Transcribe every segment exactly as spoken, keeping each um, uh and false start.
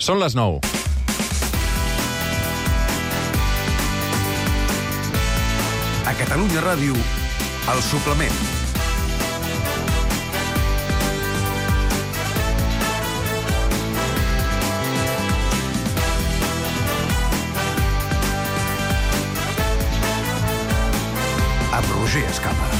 Són les nou. A Catalunya Ràdio, El Suplement. Amb Roger Escapa.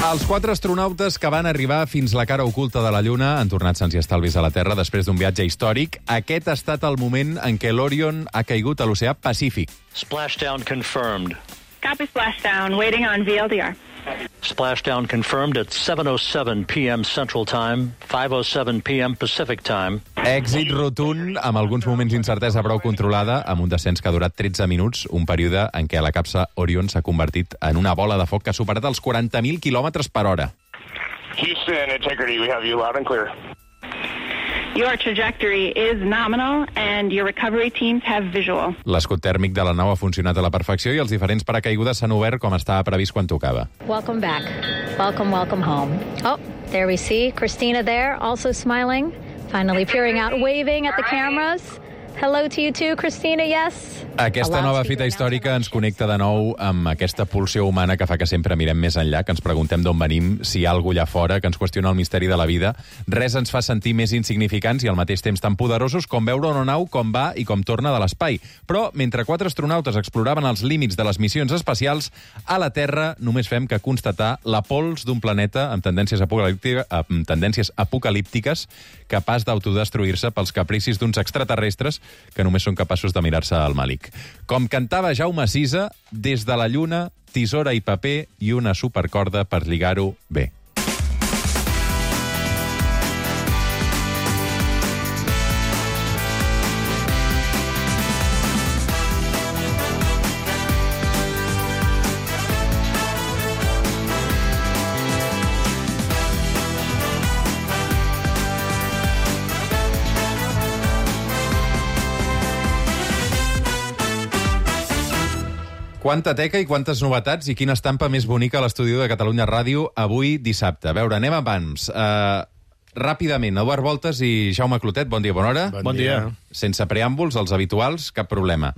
Els quatre astronautes que van arribar fins la cara oculta de la Lluna han tornat sants i estalvis a la Terra després d'un viatge històric. Aquest ha estat el moment en què l'Orion ha caigut a l'oceà Pacífic. Splashdown confirmed. Copy splashdown, waiting on V L D R. Splashdown confirmed at seven oh seven p m Central Time, five oh seven p m Pacific Time. Èxit rotund, amb alguns moments d'incertesa prou controlada, amb un descens que ha durat tretze minuts, un període en què la capsa Orion s'ha convertit en una bola de foc que ha superat els quaranta mil quilòmetres per hora. Houston, Integrity, we have you loud and clear. Your trajectory is nominal and your recovery teams have visual. L'escut tèrmic de la nau ha funcionat a la perfecció i els diferents paracaigudes s'han obert com estava previst quan tocava. Welcome back. Welcome, welcome home. Oh, there we see Christina there, also smiling, finally peering out, waving at the cameras. Hello to you too, Christina, yes? Aquesta nova fita històrica ens connecta de nou amb aquesta pulsió humana que fa que sempre mirem més enllà, que ens preguntem d'on venim, si hi ha algú allà fora, que ens qüestiona el misteri de la vida. Res ens fa sentir més insignificants i al mateix temps tan poderosos com veure una nau com va i com torna de l'espai. Però, mentre quatre astronautes exploraven els límits de les missions espacials, a la Terra només fem que constatar la pols d'un planeta amb tendències, apocalíptica, amb tendències apocalíptiques capaç d'autodestruir-se pels capricis d'uns extraterrestres que només són capaços de mirar-se al màlic. Com cantava Jaume Sisa, des de la Lluna, tisora i paper i una supercorda per lligar-ho bé. Quanta teca i quantes novetats i quina estampa més bonica a l'estudi de Catalunya Ràdio avui dissabte. A veure, anem abans. Uh, ràpidament, Eduard Voltes i Jaume Clotet, bon dia, bona hora. Bon, bon dia. Sense preàmbuls, els habituals, cap problema.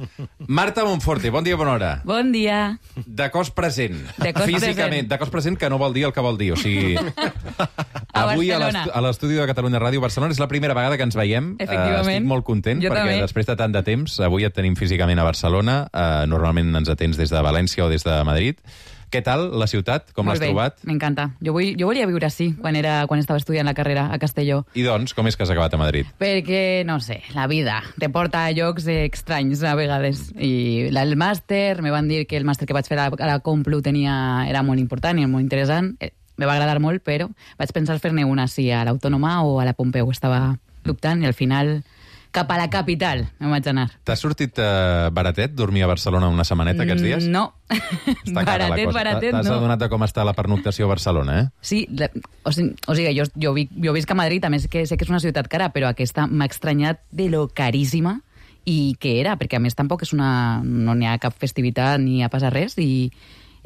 Marta Monforte, bon dia, bona hora. Bon dia. De cos present. De cos Físicament, present. de cos present que no vol dir el que vol dir. O sigui, a avui Barcelona. a l'estudi de Catalunya Ràdio Barcelona és la primera vegada que ens veiem. Efectivament. Uh, estic molt content Jo perquè també. després de tant de temps, avui et tenim físicament a Barcelona. Uh, normalment ens atens des de València o des de Madrid. Què tal la ciutat? Com l'has trobat? M'encanta. Jo, vull, jo volia viure així quan, era, quan estava estudiant la carrera a Castelló. I doncs, com és que has acabat a Madrid? Perquè, no sé, la vida te porta a llocs estranys a vegades. I el màster, me van dir que el màster que vaig fer a la, a la Complu tenia, era molt important i molt interessant. Eh, me va agradar molt, però vaig pensar fer-ne una si a l'Autònoma o a la Pompeu. Estava dubtant i al final cap a la capital em vaig anar. T'ha sortit uh, baratet dormir a Barcelona una setmaneta aquests dies? No. Està cara la baratet, cosa. baratet, T'has no. adonat de com està la pernoctació a Barcelona, eh? Sí, la, o sigui, o sigui jo, jo, vi, jo visc a Madrid, a més que sé que és una ciutat cara, però aquesta m'ha estranyat de lo caríssima i que era, perquè a més tampoc és una, no n'hi ha cap festivitat ni ha passat res i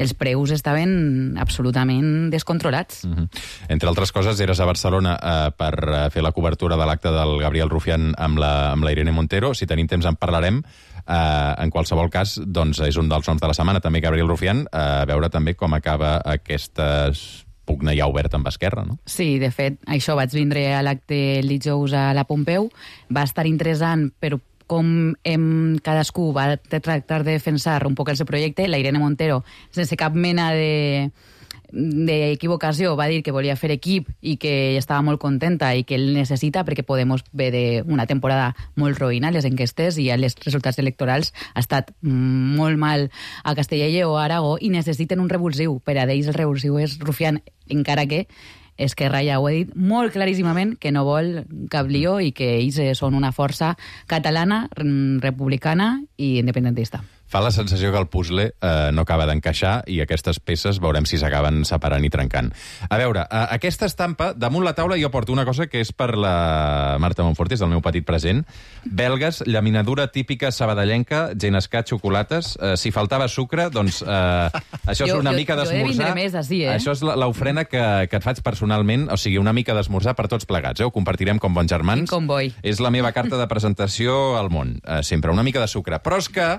els preus estaven absolutament descontrolats. Uh-huh. Entre altres coses, eres a Barcelona uh, per uh, fer la cobertura de l'acte del Gabriel Rufián amb la, amb la Irene Montero. Si tenim temps en parlarem. Uh, en qualsevol cas, doncs, és un dels noms de la setmana, també Gabriel Rufián, uh, a veure també com acaba aquesta pugna ja oberta amb Esquerra, no? Sí, de fet, això vaig vindre a l'acte el dijous a la Pompeu. Va estar interessant, però com hem, cadascú va tractar de defensar un poc el seu projecte. La Irene Montero, sense cap mena de d'equivocació, va dir que volia fer equip i que estava molt contenta i que el necessita perquè Podemos ve d'una temporada molt roïna, les enquestes i els resultats electorals ha estat molt mal a Castella i Lleó, a Aragó, i necessiten un revulsiu. Per a d'ells el revulsiu és Rufián, encara que Esquerra ja ho ha dit molt claríssimament que no vol cap lío i que ells són una força catalana, republicana i independentista. Fa la sensació que el puzzle eh, no acaba d'encaixar i aquestes peces veurem si s'acaben separant i trencant. A veure, eh, aquesta estampa, damunt la taula jo porto una cosa que és per la Marta Monforte, és el meu petit present. Belgues, llaminadura típica sabadellenca, genescar, xocolates. Eh, si faltava sucre, doncs eh, això és Jo- una jo- mica jo he de d'esmorzar. vindre més ací, eh? Això és la- l'ofrena que, que et faig personalment, o sigui, una mica d'esmorzar per tots plegats. Eh? Ho compartirem com bons germans. Quin comboi. És la meva carta de presentació al món. Eh, sempre una mica de sucre. Però és que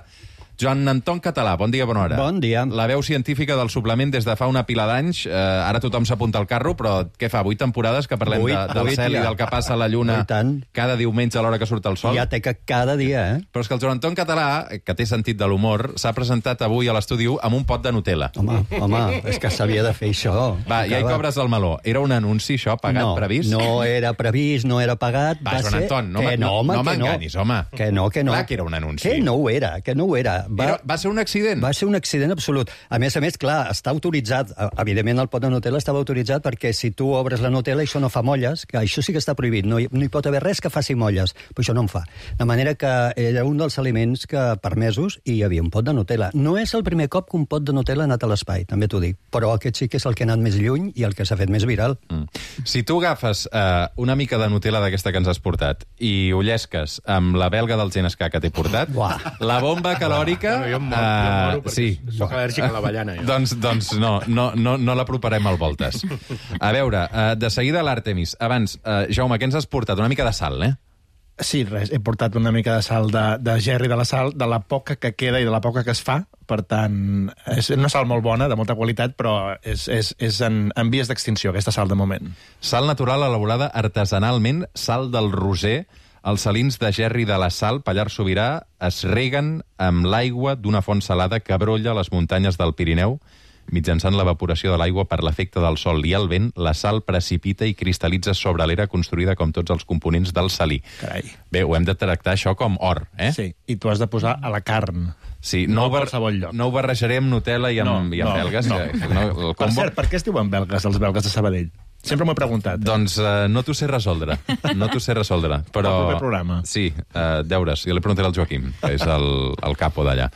Joan Anton Català, bon dia, bona hora. Bon dia. La veu científica del suplement des de fa una pila d'anys. Eh, ara tothom s'apunta al carro, però què fa? Vuit temporades que parlem Vuit, de, del vuit, cel ja. i del que passa a la Lluna I tant. cada diumenge a l'hora que surt el sol? Ja té que cada dia, eh? Però és que el Joan Anton Català, que té sentit de l'humor, s'ha presentat avui a l'estudi u amb un pot de Nutella. Home, home, és que s'havia de fer això. Va, ja hi Acaba. cobres el meló. Era un anunci, això, pagat, no, previst? No era previst, no era pagat. Va, Joan ser... Anton, no que me- no, home, no que m'enganyis, home. Que no, que no. Clar que era un anunci. Que no ho era, que no ho era. Va, Era, va ser un accident. va ser un accident absolut. A més a més, clar, està autoritzat. eh, Evidentment, el pot de Nutella estava autoritzat perquè si tu obres la Nutella, això no fa molles, que això sí que està prohibit. No hi, no hi pot haver res que faci molles, però això no en fa. De manera que era un dels aliments que permesos i hi havia un pot de Nutella. No és el primer cop que un pot de Nutella ha anat a l'espai, també t'ho dic. Però aquest sí que és el que ha anat més lluny i el que s'ha fet més viral. Mm. Si tu agafes eh, una mica de Nutella d'aquesta que ens has portat i ho llesques amb la belga del genescar que t'he portat, Uah. la bomba calòrica... Bueno, jo em moro, eh, jo em moro perquè sí. soc al·lèrgic a l'avellana. Jo. Doncs, doncs no, no, no, no l'aproparem al voltes. A veure, eh, de seguida l'Àrtemis. Abans, eh, Jaume, què ens has portat? Una mica de sal, eh? Sí, res, he portat una mica de sal de, de gerri de la sal, de la poca que queda i de la poca que es fa. Per tant, és una sal molt bona, de molta qualitat, però és, és, és en, en vies d'extinció, aquesta sal, de moment. Sal natural elaborada artesanalment, sal del Roser. Els salins de gerri de la Sal, Pallars Sobirà, es reguen amb l'aigua d'una font salada que brolla a les muntanyes del Pirineu. Mitjançant l'evaporació de l'aigua per l'efecte del sol i el vent, la sal precipita i cristal·litza sobre l'era construïda com tots els components del salí. Carai. Bé, ho hem de tractar això com or, eh? Sí, i tu has de posar a la carn. Sí, No no, a ho bar- qualsevol lloc. no ho barrejaré amb Nutella i amb, i amb belgues. No. que- no, el Per combo... cert, per què es diuen belgues, els belgues de Sabadell? Sempre m'ho he preguntat. Doncs uh, no t'ho sé resoldre. No t'ho sé resoldre. Però... El proper programa. Sí, uh, deures. Jo li preguntaré al Joaquim, que és el, el capo d'allà.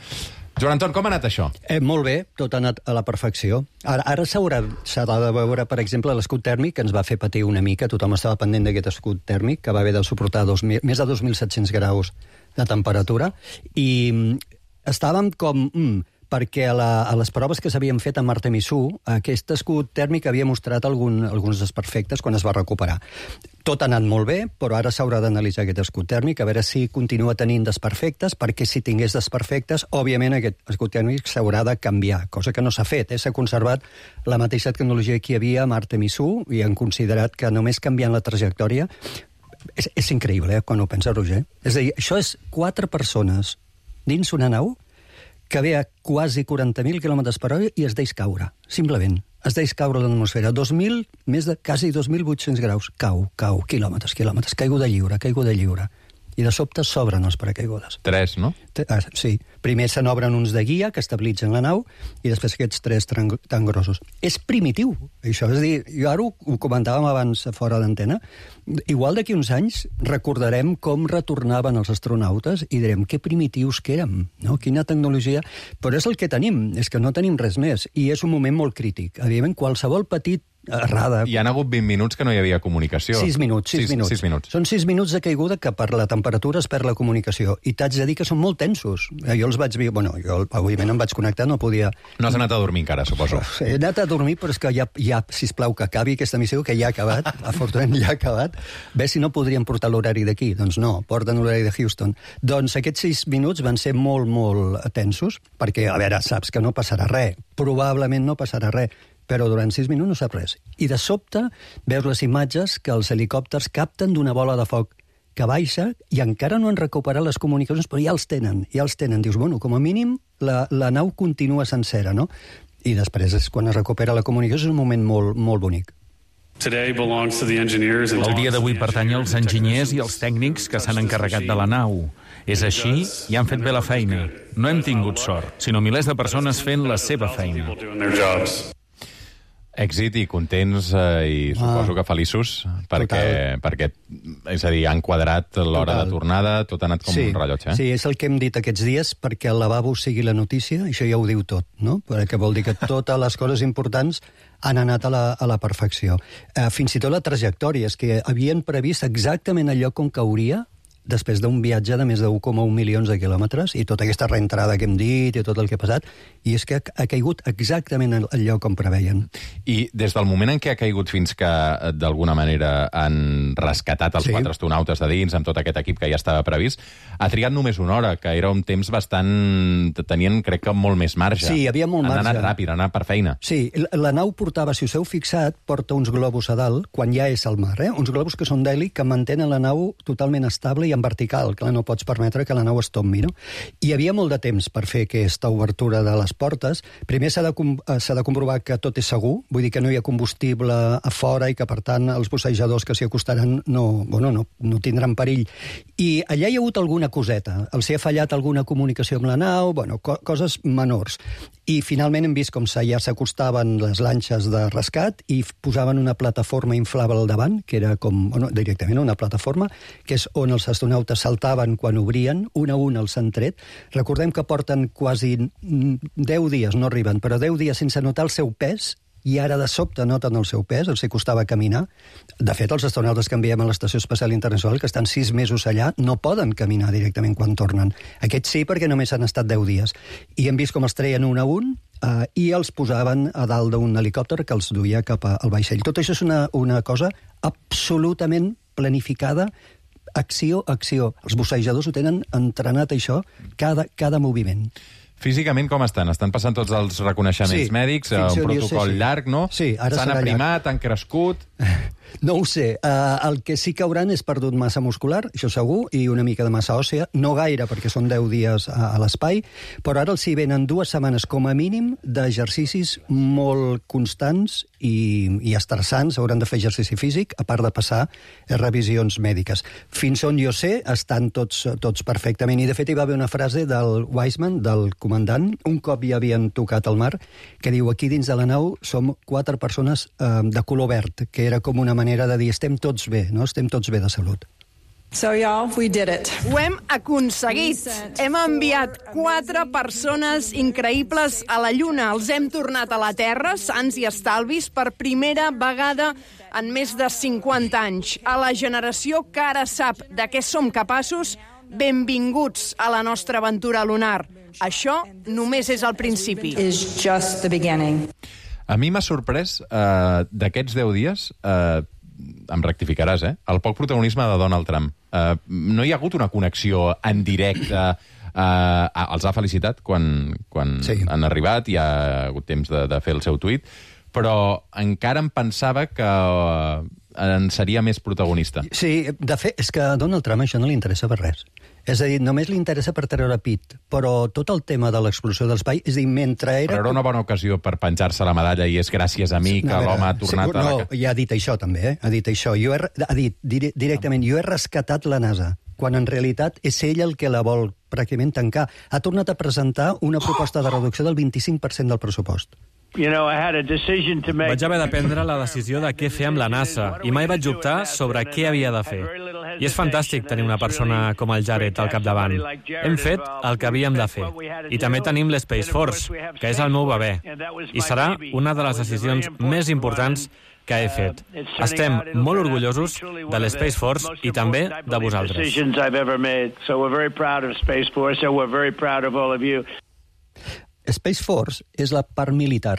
Joan Anton, com ha anat això? Eh, molt bé, tot ha anat a la perfecció. Ara, ara s'haurà s'ha de veure, per exemple, l'escut tèrmic, que ens va fer patir una mica. Tothom estava pendent d'aquest escut tèrmic, que va haver de suportar dos mil, més de dos mil set-cents graus de temperatura. I mm, estàvem com... Mm, perquè a, la, a les proves que s'havien fet amb Artemis u, aquest escut tèrmic havia mostrat algun, alguns desperfectes quan es va recuperar. Tot ha anat molt bé, però ara s'haurà d'analitzar aquest escut tèrmic, a veure si continua tenint desperfectes, perquè si tingués desperfectes, òbviament aquest escut tèrmic s'haurà de canviar, cosa que no s'ha fet. Eh? S'ha conservat la mateixa tecnologia que hi havia amb Artemis u i han considerat que només canviant la trajectòria... És, és increïble, eh, quan ho pensa Roger. És a dir, això és quatre persones dins una nau que ve a quasi quaranta mil quilòmetres per hora i es deix caure, simplement. Es deix caure a l'atmosfera. dos mil, més de quasi dos mil vuit-cents graus. Cau, cau, quilòmetres, quilòmetres. Caiguda lliure, caiguda lliure. I de sobte s'obren els paracaigudes. Tres, no? Ah, sí. Primer se n'obren uns de guia que estabilitzen la nau i després aquests tres tan, tan grossos. És primitiu, això. És a dir, jo ara ho, ho comentàvem abans fora d'antena. Igual d'aquí uns anys recordarem com retornaven els astronautes i direm que primitius que érem, no? Quina tecnologia... Però és el que tenim, és que no tenim res més. I és un moment molt crític. Evidentment, qualsevol petit errada... Hi han hagut vint minuts que no hi havia comunicació. Sis minuts, sis, sis, minuts. sis minuts. Són sis minuts de caiguda que per la temperatura es perd la comunicació. I t'haig de dir que són molt tensos. Jo els vaig dir... Bueno, jo òbviament em vaig connectar, no podia... No has anat a dormir encara, suposo. He anat a dormir, però és que ja, ja sisplau, que acabi aquesta missió, que ja ha acabat. Afortunadament ja ha acabat. Bé, si no podríem portar l'horari d'aquí. Doncs no, porten l'horari de Houston. Doncs aquests sis minuts van ser molt, molt tensos, perquè, a veure, saps que no passarà res. Probablement no passarà res. Però durant sis minuts no sap res. I de sobte veus les imatges que els helicòpters capten d'una bola de foc que baixa i encara no han recuperat les comunicacions, però ja els tenen, ja els tenen. Dius, bueno, com a mínim la, la nau continua sencera, no? I després, és quan es recupera la comunicació, és un moment molt, molt bonic. El dia d'avui pertany als enginyers i als tècnics que s'han encarregat de la nau. És així i han fet bé la feina. No hem tingut sort, sinó milers de persones fent la seva feina. Èxit i contents eh, i suposo Ah. que feliços perquè, perquè, és a dir, han quadrat l'hora de tornada, tot ha anat com sí, un rellotge. Eh? Sí, és el que hem dit aquests dies, perquè el lavabo sigui la notícia, això ja ho diu tot, no? Perquè vol dir que totes les coses importants han anat a la, a la perfecció. Eh, fins i tot la trajectòria, és que havien previst exactament el lloc on cauria després d'un viatge de més de un coma un milions de quilòmetres i tota aquesta reentrada que hem dit i tot el que ha passat, i és que ha caigut exactament al lloc on preveien. I des del moment en què ha caigut fins que, d'alguna manera, han rescatat els Sí. quatre astronautes de dins amb tot aquest equip que ja estava previst, ha trigat només una hora, que era un temps bastant... tenien, crec que, molt més marge. Sí, hi havia molt han marge. Han anat ràpid, han anat per feina. Sí, la, la nau portava, si us heu fixat, porta uns globus a dalt, quan ja és al mar, eh? Uns globus que són d'heli que mantenen la nau totalment estable i en vertical, clar, no pots permetre que la nau es tombi, no? I hi havia molt de temps per fer aquesta obertura de les portes. Primer s'ha de, s'ha de comprovar que tot és segur, vull dir que no hi ha combustible a fora i que, per tant, els bussejadors que s'hi acostaran no, bueno, no, no tindran perill. I allà hi ha hagut alguna coseta. Els hi ha fallat alguna comunicació amb la nau, bueno, co coses menors. I finalment hem vist com ja s'acostaven les lanxes de rescat i posaven una plataforma inflable al davant, que era com, bueno, directament una plataforma, que és on els astronautes saltaven quan obrien, un a un els han tret. Recordem que porten quasi deu dies, no arriben, però deu dies sense notar el seu pes, i ara de sobte noten el seu pes, els hi costava caminar. De fet, els astronautes que enviem a l'Estació Espacial Internacional, que estan sis mesos allà, no poden caminar directament quan tornen. Aquests sí, perquè només han estat deu dies. I hem vist com els treien un a un eh, i els posaven a dalt d'un helicòpter que els duia cap al vaixell. Tot això és una, una cosa absolutament planificada, acció, acció. Els bussejadors ho tenen entrenat, això, cada, cada moviment. Físicament com estan? Estan passant tots els reconeixements Sí, mèdics, fins un on jo protocol sé, sí. llarg, no? Sí, ara s'han serà aprimat, han crescut... No ho sé. Uh, el que sí que hauran és perdut massa muscular, això segur, i una mica de massa òssea. No gaire, perquè són deu dies a, a l'espai, però ara els hi venen dues setmanes com a mínim d'exercicis molt constants i, i estressants. Hauran de fer exercici físic, a part de passar eh, revisions mèdiques. Fins on jo sé, estan tots, tots perfectament. I, de fet, hi va haver una frase del Weissman, del comandant, un cop ja havien tocat el mar, que diu, aquí dins de la nau som quatre persones eh, de color verd, que era com una manera de dir estem tots bé, no? Estem tots bé de salut. So, y'all, we did it. Ho hem aconseguit. Hem enviat quatre persones increïbles a la Lluna. Els hem tornat a la Terra, sans i estalvis, per primera vegada en més de cinquanta anys. A la generació que ara sap de què som capaços, benvinguts a la nostra aventura lunar. Això només és el principi. Is just the beginning. A mi m'ha sorprès, eh, d'aquests deu dies, eh, em rectificaràs, eh? El poc protagonisme de Donald Trump. Eh, no hi ha hagut una connexió en directe. Eh, els ha felicitat quan, quan sí. han arribat, i ha hagut temps de, de fer el seu tuit, però encara em pensava que en seria més protagonista. Sí, de fet, és que a Donald Trump això no li interessa per res. És a dir, només li interessa per treure pit, però tot el tema de l'explosió de l'espai, és a dir, mentre era... Però era una bona ocasió per penjar-se la medalla i és gràcies a mi que no, l'home ha tornat sí, a... No, ja ha dit això també, eh? Ha dit això. Jo he, ha dit dire, directament, jo he rescatat la NASA, quan en realitat és ell el que la vol pràcticament tancar. Ha tornat a presentar una proposta de reducció del vint-i-cinc per cent del pressupost. You know, I had a decision to make... Vaig haver de prendre la decisió de què fer amb la NASA i mai vaig optar sobre què havia de fer. I és fantàstic tenir una persona com el Jared al capdavant. Hem fet el que havíem de fer. I també tenim l'Space Force, que és el meu bebè. I serà una de les decisions més importants que he fet. Estem molt orgullosos de l'Space Force i també de vosaltres. Space Force és la part militar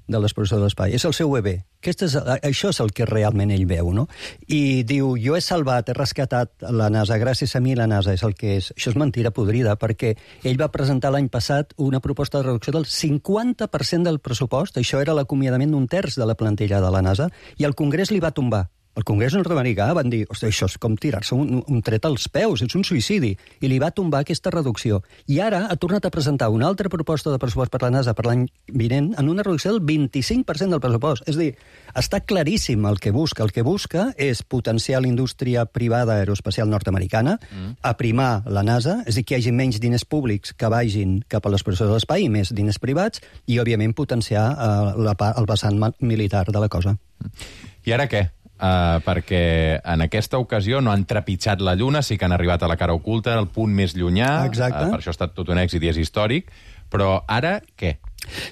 de l'exploració de l'espai, és el seu bebè. Aquest és, això és el que realment ell veu, no? I diu, jo he salvat, he rescatat la NASA, gràcies a mi la NASA és el que és. Això és mentira podrida, perquè ell va presentar l'any passat una proposta de reducció del cinquanta per cent del pressupost, això era l'acomiadament d'un terç de la plantilla de la NASA, i el Congrés li va tombar. el Congrés nord-americà van dir, ostres, això és com tirar-se un, un tret als peus, és un suïcidi, i li va tombar aquesta reducció. I ara ha tornat a presentar una altra proposta de pressupost per la NASA per l'any vinent en una reducció del vint-i-cinc per cent del pressupost. És a dir, està claríssim el que busca. El que busca és potenciar la indústria privada aeroespacial nord-americana, mm. aprimar la NASA, és a dir, que hi hagi menys diners públics que vagin cap a l'exploració de l'espai i més diners privats, i, òbviament, potenciar uh, la, el vessant militar de la cosa. I ara què? Uh, perquè en aquesta ocasió no han trepitjat la Lluna, sí que han arribat a la cara oculta, al punt més llunyà. Exacte. Uh, per això ha estat tot un èxit i és històric. Però ara què?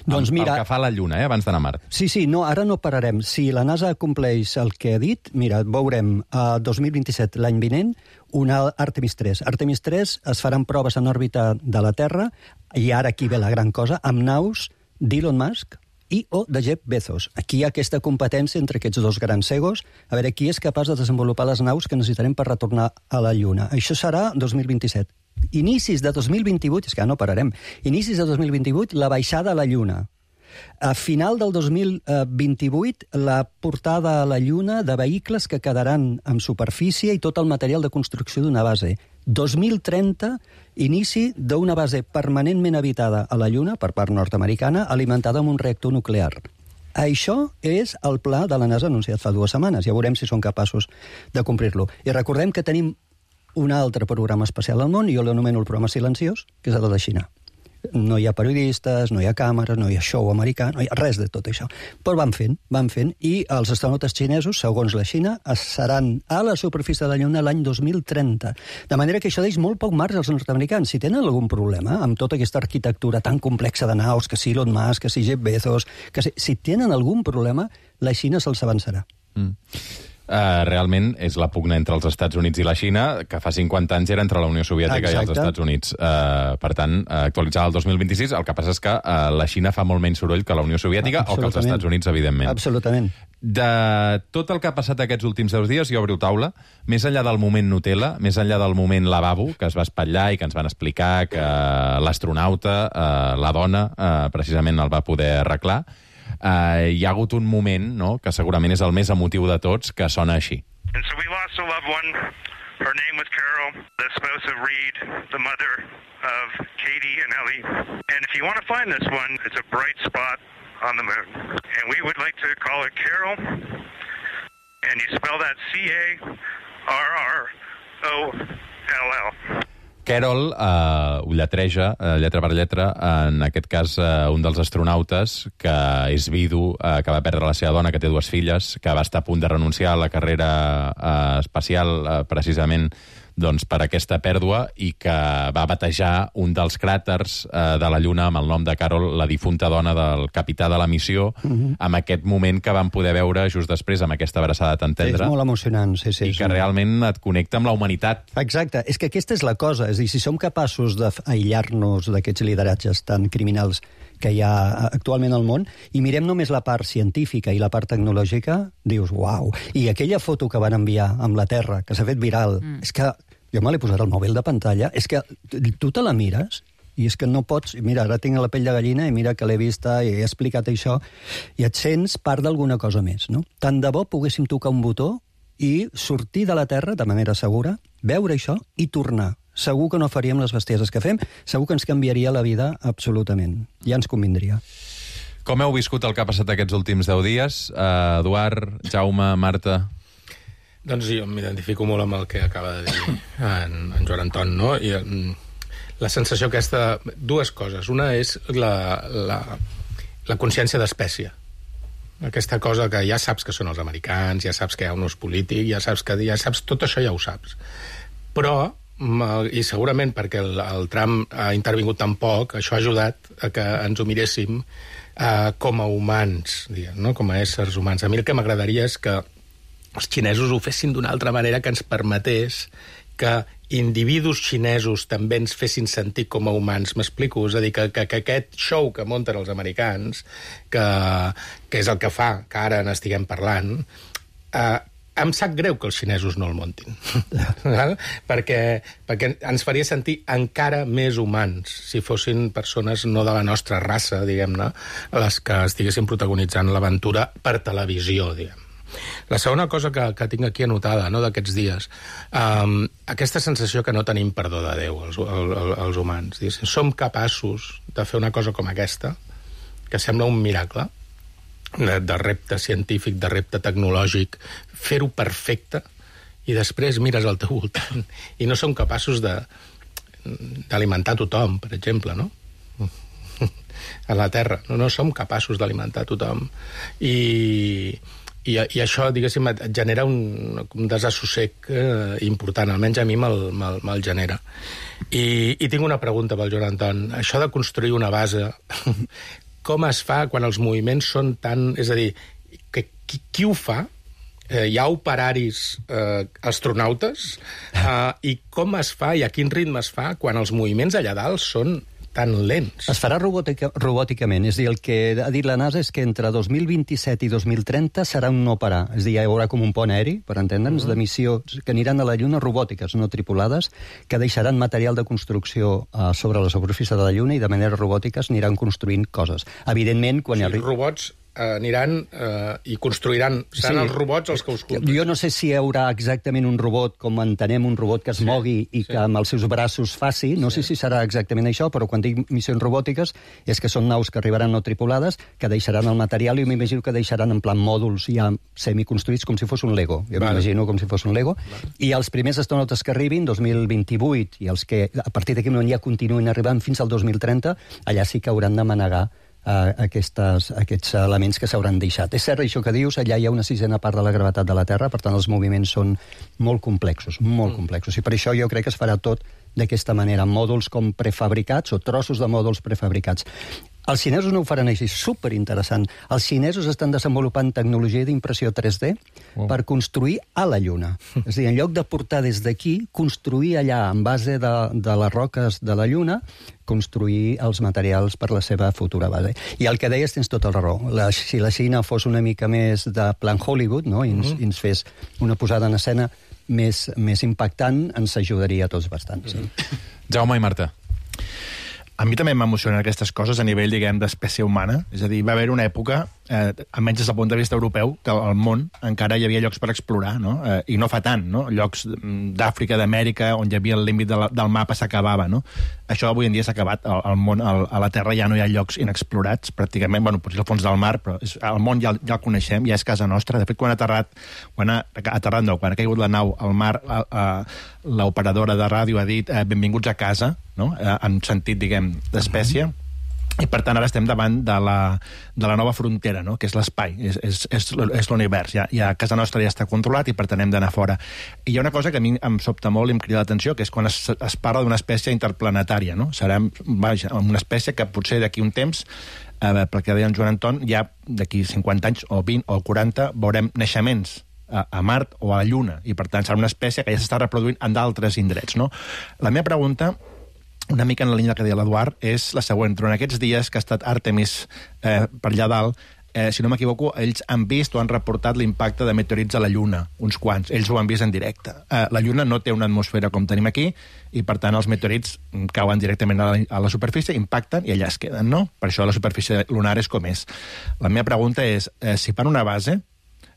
Doncs mira, el que fa la Lluna, eh, abans d'anar a Mart. Sí, sí, no, ara no pararem. Si la NASA compleix el que ha dit, mira, veurem a dos mil vint-i-set, l'any vinent, una Artemis tres. Artemis tres es faran proves en òrbita de la Terra, i ara aquí ve la gran cosa, amb naus d'Elon Musk i o de Jeff Bezos. Aquí hi ha aquesta competència entre aquests dos grans egos, a veure qui és capaç de desenvolupar les naus que necessitarem per retornar a la Lluna. Això serà dos mil vint-i-set. Inicis de dos mil vint-i-vuit, és que no pararem, inicis de dos mil vint-i-vuit, la baixada a la Lluna. A final del dos mil vint-i-vuit, la portada a la Lluna de vehicles que quedaran en superfície i tot el material de construcció d'una base. dos mil trenta, inici d'una base permanentment habitada a la Lluna per part nord-americana, alimentada amb un reactor nuclear. Això és el pla de la NASA anunciat fa dues setmanes. Ja veurem si són capaços de complir-lo. I recordem que tenim un altre programa espacial al món, i jo l'anomeno el programa silenciós, que és el de la Xina. No hi ha periodistes, no hi ha càmeres, no hi ha show americà, no hi ha res de tot això. Però van fent, van fent, i els astronautes xinesos, segons la Xina, seran a la superfície de la Lluna l'any dos mil trenta. De manera que això deix molt poc marge als nord-americans. Si tenen algun problema amb tota aquesta arquitectura tan complexa de naus, que si Elon Musk, que si Jeff Bezos, que si, si tenen algun problema, la Xina se'ls avançarà. Mm. Uh, realment és la pugna entre els Estats Units i la Xina, que fa cinquanta anys era entre la Unió Soviètica Exacte. I els Estats Units. Uh, per tant, uh, actualitzada el dos mil vint-i-sis, el que passa és que uh, la Xina fa molt menys soroll que la Unió Soviètica o que els Estats Units, evidentment. Absolutament. De tot el que ha passat aquests últims deu dies, jo obro taula, més enllà del moment Nutella, més enllà del moment lavabo, que es va espatllar i que ens van explicar que l'astronauta, uh, la dona, uh, precisament el va poder arreglar, Uh, hi ha hagut un moment, no?, que segurament és el més emotiu de tots, que sona així. And so we lost a loved one. Her name was Carol, the spouse of Reed, the mother of Katie and Ellie. And if you want to find this one, it's a bright spot on the moon. And we would like to call it Carol. And you spell that C A R R O L L. Carol eh, ho lletreja, eh, lletra per lletra, en aquest cas eh, un dels astronautes que és vidu, eh, que va perdre la seva dona, que té dues filles, que va estar a punt de renunciar a la carrera eh, espacial eh, precisament doncs, per aquesta pèrdua, i que va batejar un dels cràters eh, de la Lluna amb el nom de Carol, la difunta dona del capità de la missió, uh-huh. amb aquest moment que vam poder veure just després, amb aquesta abraçada tan tendra. Sí, és molt emocionant, sí, sí. I que realment et connecta amb la humanitat. Exacte, és que aquesta és la cosa, és a dir, si som capaços d'aïllar-nos d'aquests lideratges tan criminals que hi ha actualment al món, i mirem només la part científica i la part tecnològica, dius, uau. I aquella foto que van enviar amb la Terra, que s'ha fet viral, mm. és que jo me l'he posat al mòbil de pantalla, és que tu te la mires i és que no pots... Mira, ara tinc la pell de gallina i mira que l'he vista i he explicat això, i et sents part d'alguna cosa més, no? Tant de bo poguéssim tocar un botó i sortir de la Terra de manera segura, veure això i tornar. Segur que no faríem les bestieses que fem, segur que ens canviaria la vida absolutament. Ja ens convindria. Com heu viscut el que ha passat aquests últims deu dies? Uh, Eduard, Jaume, Marta... Doncs jo m'identifico molt amb el que acaba de dir en, en Joan Anton, no? I la sensació aquesta... Dues coses. Una és la, la, la consciència d'espècie. Aquesta cosa que ja saps que són els americans, ja saps que hi ha un ús polític, ja saps que ja saps, tot això ja ho saps. Però, i segurament perquè el, el Trump ha intervingut tan poc, això ha ajudat a que ens ho miréssim eh, com a humans, diguem, no? Com a éssers humans. A mi el que m'agradaria és que els xinesos ho fessin d'una altra manera, que ens permetés que individus xinesos també ens fessin sentir com a humans. M'explico? És a dir, que, que, que aquest show que munten els americans, que, que és el que fa que ara n'estiguem parlant, eh, em sap greu que els xinesos no el muntin. perquè, perquè ens faria sentir encara més humans si fossin persones no de la nostra raça, diguem-ne, les que estiguessin protagonitzant l'aventura per televisió, diguem. La segona cosa que, que tinc aquí anotada, no, d'aquests dies, um, aquesta sensació que no tenim perdó de Déu, els, els, els humans. Diguéssim, som capaços de fer una cosa com aquesta, que sembla un miracle, de, de repte científic, de repte tecnològic, fer-ho perfecte, i després mires al teu voltant i no som capaços de d'alimentar tothom, per exemple, no? A la Terra. No, no som capaços d'alimentar tothom. I, i, i això, diguéssim, et genera un, un desassossec eh, important, almenys a mi me'l, me'l, me'l genera. I, I tinc una pregunta pel Joan Anton. Això de construir una base, com es fa quan els moviments són tan... És a dir, que, qui, qui ho fa? Eh, hi ha operaris eh, astronautes? Eh, I com es fa i a quin ritme es fa quan els moviments allà dalt són tan lents? Es farà robòtica, robòticament. És a dir, el que ha dit la NASA és que entre dos mil vint-i-set i dos mil trenta serà un no parar. És a dir, hi haurà com un pont aeri, per entendre'ns, uh -huh. de missions que aniran a la Lluna robòtiques, no tripulades, que deixaran material de construcció uh, sobre la superfície de la Lluna i de manera robòtica aniran construint coses. Evidentment, quan o sigui, hi arribi... robots aniran eh, i construiran, seran sí. els robots els que us culpen. Jo no sé si hi haurà exactament un robot, com entenem un robot que es sí, mogui i sí. que amb els seus braços faci, no sí. sé si serà exactament això, però quan dic missions robòtiques és que són naus que arribaran no tripulades, que deixaran el material i m'imagino que deixaran en plan mòduls ja semiconstruïts com si fos un Lego. Jo vale. m'imagino com si fos un Lego. Vale. I els primers astronautes que arribin, dos mil vint-i-vuit, i els que a partir d'aquí ja continuïn arribant fins al dos mil trenta, allà sí que hauran de manegar Uh, aquestes, aquests elements que s'hauran deixat. És cert això que dius, allà hi ha una sisena part de la gravetat de la Terra, per tant els moviments són molt complexos, molt mm. complexos, i per això jo crec que es farà tot d'aquesta manera, mòduls com prefabricats o trossos de mòduls prefabricats. Els xinesos no ho faran així, superinteressant. Els xinesos estan desenvolupant tecnologia d'impressió tres D oh. per construir a la Lluna. És a dir, en lloc de portar des d'aquí, construir allà, en base de, de les roques de la Lluna, construir els materials per la seva futura base. I el que deies tens tota la raó. La, si la Xina fos una mica més de plan Hollywood, no? I ens, mm-hmm. i ens fes una posada en escena més, més impactant, ens ajudaria a tots bastant. Sí. Jaume i Marta. A mi també m'emocionen aquestes coses a nivell, diguem, d'espècie humana. És a dir, va haver una època, eh, almenys des del punt de vista europeu, que al món encara hi havia llocs per explorar, no? Eh, I no fa tant, no? Llocs d'Àfrica, d'Amèrica, on hi havia el límit de la, del mapa s'acabava, no? Això avui en dia s'ha acabat. Al, al món, al, a la Terra ja no hi ha llocs inexplorats, pràcticament, bueno, potser al fons del mar, però és, el món ja, ja el coneixem, ja és casa nostra. De fet, quan ha aterrat, quan ha aterrat, no, quan ha caigut la nau al mar, l'operadora de ràdio ha dit eh, benvinguts a casa, no? Eh, en sentit, diguem, d'espècie. I, per tant, ara estem davant de la, de la nova frontera, no? Que és l'espai, és, és, és, és l'univers. Ja, ja casa nostra ja està controlat i, per tant, hem d'anar fora. I hi ha una cosa que a mi em sobta molt i em crida l'atenció, que és quan es, es parla d'una espècie interplanetària, no? Serem, vaja, una espècie que potser d'aquí un temps, eh, perquè deia en Joan Anton, ja d'aquí cinquanta anys o vint o quaranta veurem naixements a, a Mart o a la Lluna, i, per tant, serà una espècie que ja s'està reproduint en d'altres indrets, no? La meva pregunta, una mica en la línia que deia l'Eduard, és la següent. Durant aquests dies que ha estat Àrtemis eh, per allà dalt, eh, si no m'equivoco, ells han vist o han reportat l'impacte de meteorits a la Lluna, uns quants. Ells ho han vist en directe. Eh, la Lluna no té una atmosfera com tenim aquí, i, per tant, els meteorits cauen directament a la, a la superfície, impacten i allà es queden, no? Per això la superfície lunar és com és. La meva pregunta és, eh, si fan una base,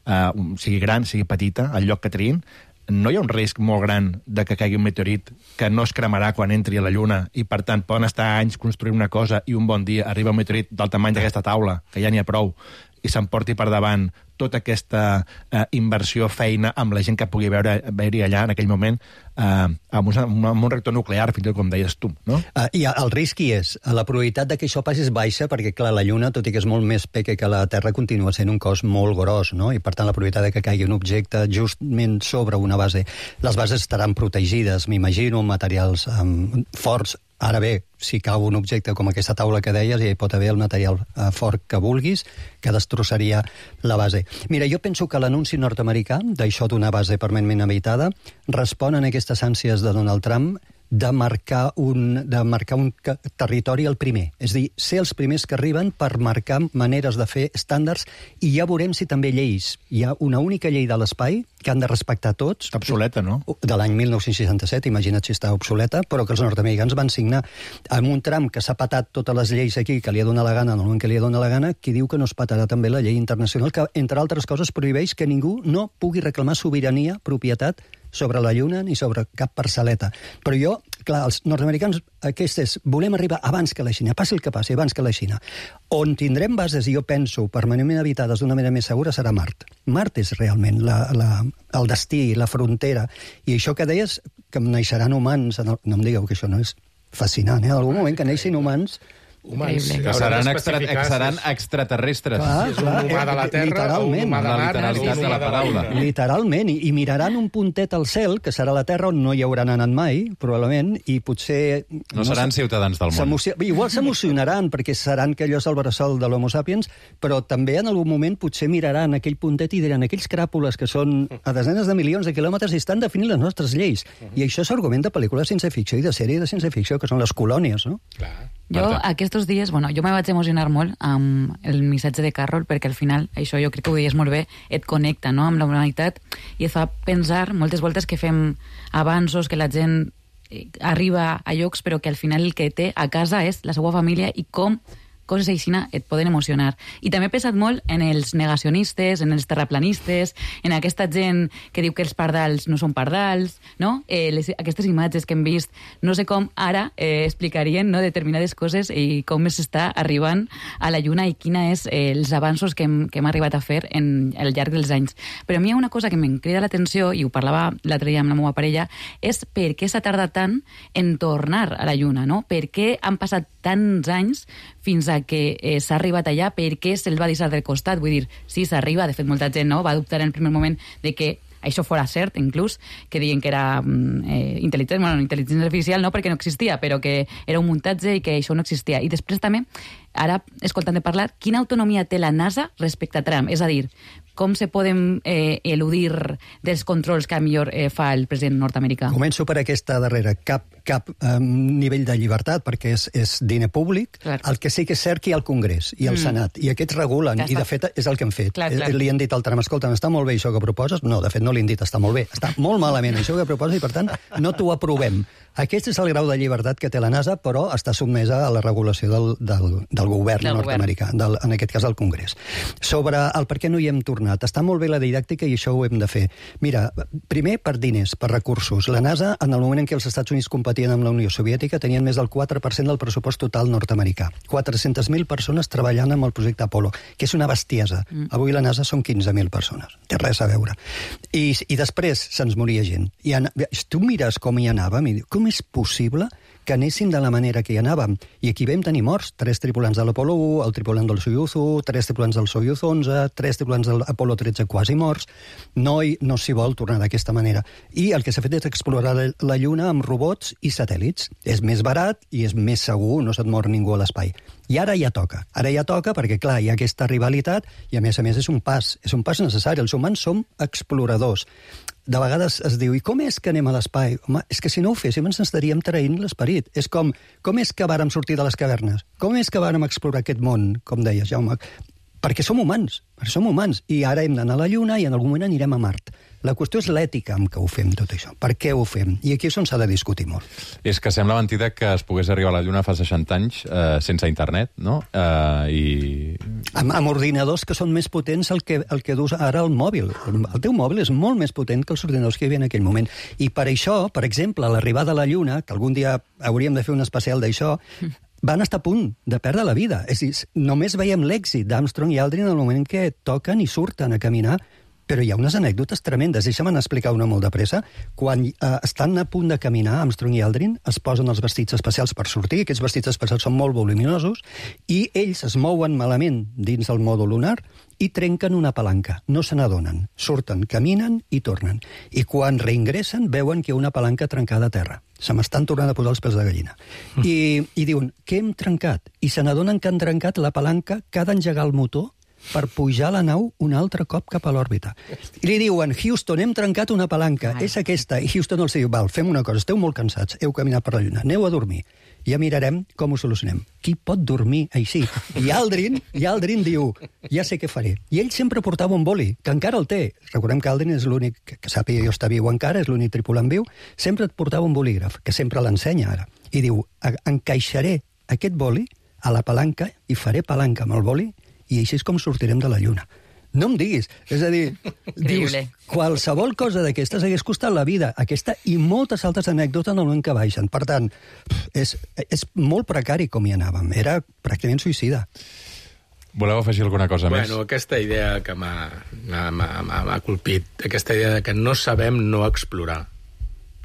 eh, sigui gran, sigui petita, al lloc que triïn, no hi ha un risc molt gran de que caigui un meteorit que no es cremarà quan entri a la Lluna i, per tant, poden estar anys construint una cosa i un bon dia arriba un meteorit del tamany d'aquesta taula, que ja n'hi ha prou, i s'emporti per davant tota aquesta eh, inversió, feina, amb la gent que pugui veure, veure allà en aquell moment, eh, amb, un, amb un reactor nuclear, fins i tot com deies tu, no? Uh, I el risc hi és. La probabilitat de que això passi és baixa, perquè, clar, la Lluna, tot i que és molt més peque que la Terra, continua sent un cos molt gros, no? I, per tant, la probabilitat de que caigui un objecte justament sobre una base. Les bases estaran protegides, m'imagino, amb materials um, forts. Ara bé, si cau un objecte com aquesta taula que deies, ja hi pot haver el material uh, fort que vulguis, que destrossaria la base. Mira, jo penso que l'anunci nord-americà d'això d'una base permanentment habitada respon a aquestes ànsies de Donald Trump de marcar un, de marcar un territori el primer. És a dir, ser els primers que arriben per marcar maneres de fer estàndards, i ja veurem si també lleis. Hi ha una única llei de l'espai que han de respectar tots. Està obsoleta, no? De l'any mil nou-cents seixanta-set, imagina't si està obsoleta, però que els nord-americans van signar amb un tram que s'ha patat totes les lleis aquí, que li ha donat la gana en el moment que li ha donat la gana, qui diu que no es patarà també la llei internacional, que, entre altres coses, prohibeix que ningú no pugui reclamar sobirania, propietat, sobre la Lluna ni sobre cap parcel·leta. Però jo, clar, els nord-americans, aquest és, volem arribar abans que la Xina, passi el que passi, abans que la Xina. On tindrem bases, i jo penso, permanentment habitades d'una manera més segura, serà Mart. Mart és realment la, la, el destí, la frontera. I això que deies, que naixeran humans, en el, no em digueu que això no és fascinant, eh? En algun moment que neixin humans, humans. Que seran, extra, seran extraterrestres. Clar, és un humà de la Terra o un humà de la Mart. literalitat de la paraula. Literalment, i, i miraran un puntet al cel, que serà la Terra on no hi hauran anat mai, probablement, i potser... No, no seran ciutadans del món. Igual s'emocionaran, perquè seran que allò és el bressol de l'Homo sapiens, però també en algun moment potser miraran aquell puntet i diran aquells cràpules que són a desenes de milions de quilòmetres i estan definint les nostres lleis. I això s'argumenta a pel·lícules de ciència-ficció i de sèrie de ciència-ficció, que són les colònies, no? Clar. Jo, aquests dies, bueno, jo me vaig emocionar molt amb el missatge de Carroll, perquè al final, això jo crec que ho deies molt bé, et connecta, no?, amb la humanitat, i et fa pensar moltes voltes que fem avanços, que la gent arriba a llocs, però que al final el que té a casa és la seva família, i com coses així et poden emocionar. I també he pensat molt en els negacionistes, en els terraplanistes, en aquesta gent que diu que els pardals no són pardals, no? Eh, les, aquestes imatges que hem vist, no sé com ara eh, explicarien, no?, determinades coses i com s'està arribant a la Lluna i quina és eh, els avanços que hem, que hem arribat a fer en, al llarg dels anys. Però a mi hi ha una cosa que em crida l'atenció, i ho parlava l'altre dia amb la meva parella, és per què s'ha tardat tant en tornar a la Lluna, no? Per què han passat tants anys fins a que eh, s'ha arribat allà, perquè se'l va deixar del costat. Vull dir, sí, s'arriba, de fet molta gent no va dubtar en el primer moment de que això fora cert, inclús, que diuen que era eh, intel·ligència, bueno, intel·ligència artificial no perquè no existia, però que era un muntatge i que això no existia. I després també, ara, escoltant de parlar, quina autonomia té la NASA respecte a Trump? És a dir, com se poden eh, eludir dels controls que millor eh, fa el president nord-americà? Començo per aquesta darrera. Cap, cap um, nivell de llibertat, perquè és, és diner públic. Clar. El que sí que és cert que hi ha el Congrés i el mm. Senat, i aquests regulen, ja i de fet és el que han fet. Clar, clar. Li han dit al Trump, escolta, està molt bé això que proposes? No, de fet no li han dit, està molt bé. Està molt malament això que proposes i, per tant, no t'ho aprovem. Aquest és el grau de llibertat que té la NASA, però està sotmesa a la regulació del, del, del govern del nord-americà, del, en aquest cas el Congrés. Sobre el per què no hi hem tornat, està molt bé la didàctica i això ho hem de fer. Mira, primer per diners, per recursos. La NASA, en el moment en què els Estats Units competien amb la Unió Soviètica, tenien més del quatre per cent del pressupost total nord-americà. quatre-centes mil persones treballant amb el projecte Apollo, que és una bestiesa. Mm. Avui la NASA són quinze mil persones. Té res a veure. I, i després se'ns moria gent. I an... Tu mires com hi anàvem i dius, com és possible que anéssim de la manera que hi anàvem? I aquí vam tenir morts. Tres tripulants de l'Apollo u, el tripulant del Soyuz u, tres tripulants del Soyuz onze, tres tripulants de l'Apollo tretze quasi morts. No, hi, no s'hi vol tornar d'aquesta manera. I el que s'ha fet és explorar la Lluna amb robots i satèl·lits. És més barat i és més segur, no se't mor ningú a l'espai. I ara ja toca. Ara ja toca perquè, clar, hi ha aquesta rivalitat i, a més a més, és un pas. És un pas necessari. Els humans som exploradors. De vegades es diu, i com és que anem a l'espai? Home, és que si no ho féssim ens estaríem traint l'esperit. És com, com és que vàrem sortir de les cavernes? Com és que vàrem explorar aquest món, com deies, Jaume? Perquè som humans, som humans. I ara hem d'anar a la Lluna i en algun moment anirem a Mart. La qüestió és l'ètica amb què ho fem, tot això. Per què ho fem? I aquí és on s'ha de discutir molt. És que sembla mentida que es pogués arribar a la Lluna fa seixanta anys eh, sense internet, no? Eh, i... Amb, amb ordinadors que són més potents el que, el que dus ara el mòbil. El teu mòbil és molt més potent que els ordinadors que hi havia en aquell moment. I per això, per exemple, l'arribada a la Lluna, que algun dia hauríem de fer un especial d'això, van estar a punt de perdre la vida. És a dir, només veiem l'èxit d'Armstrong i Aldrin en el moment en què toquen i surten a caminar. Però hi ha unes anècdotes tremendes. Deixa'm explicar una molt de pressa. Quan eh, estan a punt de caminar, Armstrong i Aldrin es posen els vestits especials per sortir. Aquests vestits especials són molt voluminosos i ells es mouen malament dins el mòdul lunar i trenquen una palanca. No se n'adonen. Surten, caminen i tornen. I quan reingressen veuen que hi ha una palanca trencada a terra. Se m'estan tornant a posar els pèls de gallina. Mm. I, I diuen, què hem trencat? I se n'adonen que han trencat la palanca que ha d'engegar el motor per pujar la nau un altre cop cap a l'òrbita. I li diuen, Houston, hem trencat una palanca, Ai. és aquesta. I Houston els diu, val, fem una cosa, esteu molt cansats, heu caminat per la Lluna, aneu a dormir. Ja mirarem com ho solucionem. Qui pot dormir així? I Aldrin, i Aldrin diu, ja sé què faré. I ell sempre portava un boli, que encara el té. Recordem que Aldrin és l'únic, que sàpiga jo està viu encara, és l'únic tripulant viu, sempre et portava un bolígraf, que sempre l'ensenya ara. I diu, encaixaré aquest boli a la palanca i faré palanca amb el boli i així és com sortirem de la Lluna. No em diguis. És a dir, dius, qualsevol cosa d'aquestes hagués costat la vida. Aquesta i moltes altres anècdotes en el moment que baixen. Per tant, és, és molt precari com hi anàvem. Era pràcticament suïcida. Voleu afegir alguna cosa bueno, més? Bueno, aquesta idea que m'ha colpit, aquesta idea que no sabem no explorar.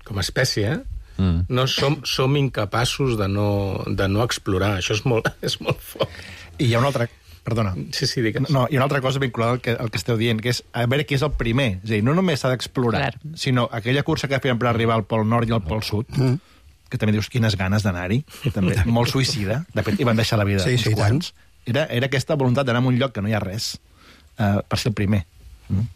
Com a espècie, mm. no som, som incapaços de no, de no explorar. Això és molt, és molt fort. I hi ha una altra... Perdona. Sí, sí, digues. No, hi ha una altra cosa vinculada al que, al que esteu dient, que és a veure qui és el primer. És a dir, no només s'ha d'explorar, sinó aquella cursa que feien per arribar al Pol Nord i al Pol Sud, mm. que també dius quines ganes d'anar-hi, també molt suïcida, de fet, hi van deixar la vida sí, uns sí, quants. Era, era aquesta voluntat d'anar a un lloc que no hi ha res, uh, per ser el primer. Mm.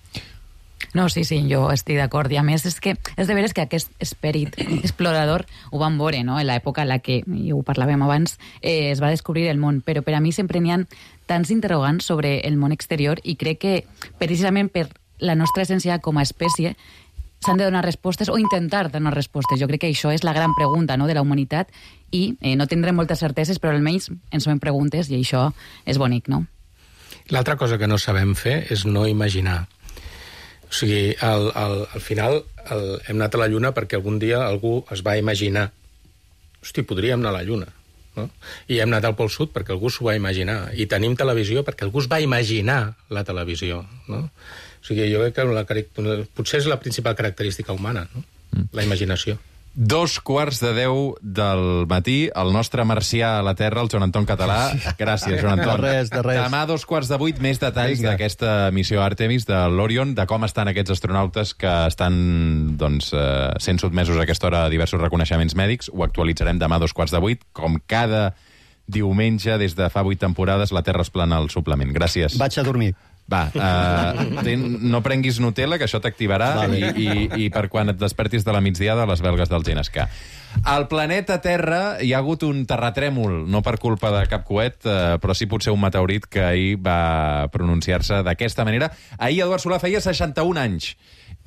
No, sí, sí, jo estic d'acord. I a més, és que és de veres que aquest esperit explorador ho vam veure, no?, en l'època en la que, i ho parlàvem abans, eh, es va descobrir el món. Però per a mi sempre n'hi ha tants interrogants sobre el món exterior i crec que, precisament per la nostra essència com a espècie, s'han de donar respostes o intentar donar respostes. Jo crec que això és la gran pregunta, no?, de la humanitat i eh, no tindrem moltes certeses, però almenys ens fem preguntes i això és bonic, no? L'altra cosa que no sabem fer és no imaginar. O sigui, al, al, al final el, hem anat a la Lluna perquè algun dia algú es va imaginar hosti, podríem anar a la Lluna, no? I hem anat al Pol Sud perquè algú s'ho va imaginar. I tenim televisió perquè algú es va imaginar la televisió, no? O sigui, jo crec que la, potser és la principal característica humana, no? Mm. La imaginació. Dos quarts de deu del matí, el nostre marcià a la Terra, el Joan Anton Català. Gràcies, Joan Anton. De res, de res. Demà, dos quarts de vuit, més detalls d'aquesta missió Àrtemis de l'Orion, de com estan aquests astronautes que estan doncs, eh, sent sotmesos a aquesta hora a diversos reconeixements mèdics. Ho actualitzarem demà, dos quarts de vuit. Com cada diumenge, des de fa vuit temporades, la Terra es plana al suplement. Gràcies. Vaig a dormir. Va, uh, ten, no prenguis Nutella, que això t'activarà, vale. i, i, i per quan et despertis de la migdiada, les belgues del Genescà. Al planeta Terra hi ha hagut un terratrèmol, no per culpa de cap coet, uh, però sí potser un meteorit que ahir va pronunciar-se d'aquesta manera. Ahir Eduard Solà feia seixanta-un anys,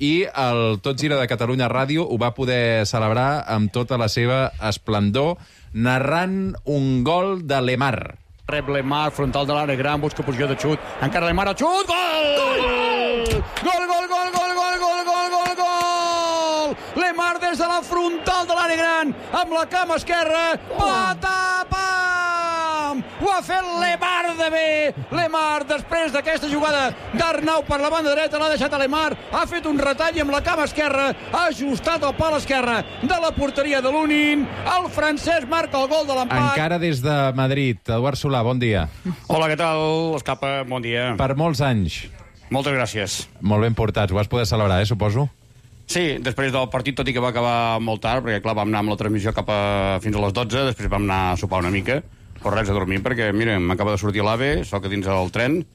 i el Tot Gira de Catalunya Ràdio ho va poder celebrar amb tota la seva esplendor, narrant un gol de Lemar. Rep Lemar, frontal de l'àrea gran, busca posició de xut, encara Lemar al xut, gol! Gol! Gol, gol, gol, gol, gol, gol, gol, gol, gol! Lemar des de la frontal de l'àrea gran, amb la cama esquerra, patapam! Ho ha fet Lemar de bé! Lemar, després d'aquesta jugada d'Arnau per la banda dreta, l'ha deixat a Lemar, ha fet un retall i amb la cama esquerra ha ajustat el pal esquerre de la porteria de l'Unin, el francès marca el gol de l'empat. Encara des de Madrid, Eduard Solà, bon dia. Hola, què tal, Escapa? Bon dia. Per molts anys. Moltes gràcies. Molt ben portats. Ho vas poder celebrar, eh, suposo? Sí, després del partit, tot i que va acabar molt tard, perquè, clar, vam anar amb la transmissió cap a fins a les dotze, després vam anar a sopar una mica, però res, a dormir, perquè, mira, m'acaba de sortir l'AVE, soc a dins del tren,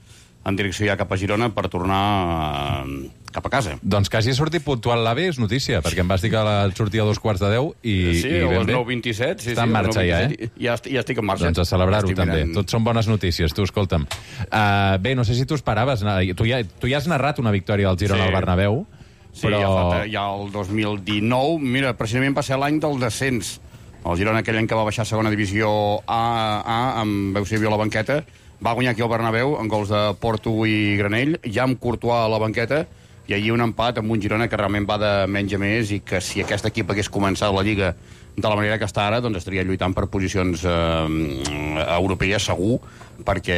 en direcció ja cap a Girona per tornar eh, cap a casa. Doncs que hagi sortit puntual l'AVE és notícia, perquè em vas dir que la sortia a dos quarts de deu i, sí, i ben a les bé. nou vint-i-set. Sí, Està sí, en marxa ja, eh? Ja, ja estic en marxa. Doncs a celebrar-ho també. Mirant... Tot són bones notícies, tu, escolta'm. Uh, bé, no sé si tu esperaves, tu ja, tu ja has narrat una victòria del Girona sí. al Bernabéu, sí, però... ja, fa, ja el dos mil dinou, mira, precisament va ser l'any del descens. El Girona, aquell any que va baixar a segona divisió A, A amb Eusebio a la banqueta, va guanyar aquí al Bernabéu en gols de Porto i Granell, ja amb Courtois a la banqueta, i allí un empat amb un Girona que realment va de menys a més i que si aquest equip hagués començat la Lliga de la manera que està ara, doncs estaria lluitant per posicions eh, europees segur, perquè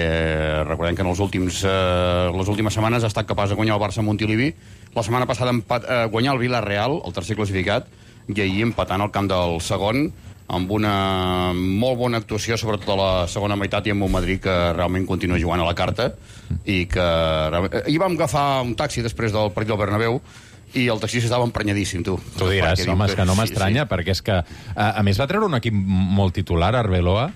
recordem que en els últims, eh, les últimes setmanes ha estat capaç de guanyar el Barça a Montilivi, la setmana passada empat, eh, guanyar el Villarreal, el tercer classificat, i ahir empatant al camp del segon, amb una molt bona actuació, sobretot a la segona meitat, i amb un Madrid que realment continua jugant a la carta, i que... Ahir vam agafar un taxi després del partit del Bernabéu, i el taxista estava emprenyadíssim, tu. Tu diràs, home, és que no m'estranya, sí, sí. perquè és que, a, a més, va treure un equip molt titular, Arbeloa.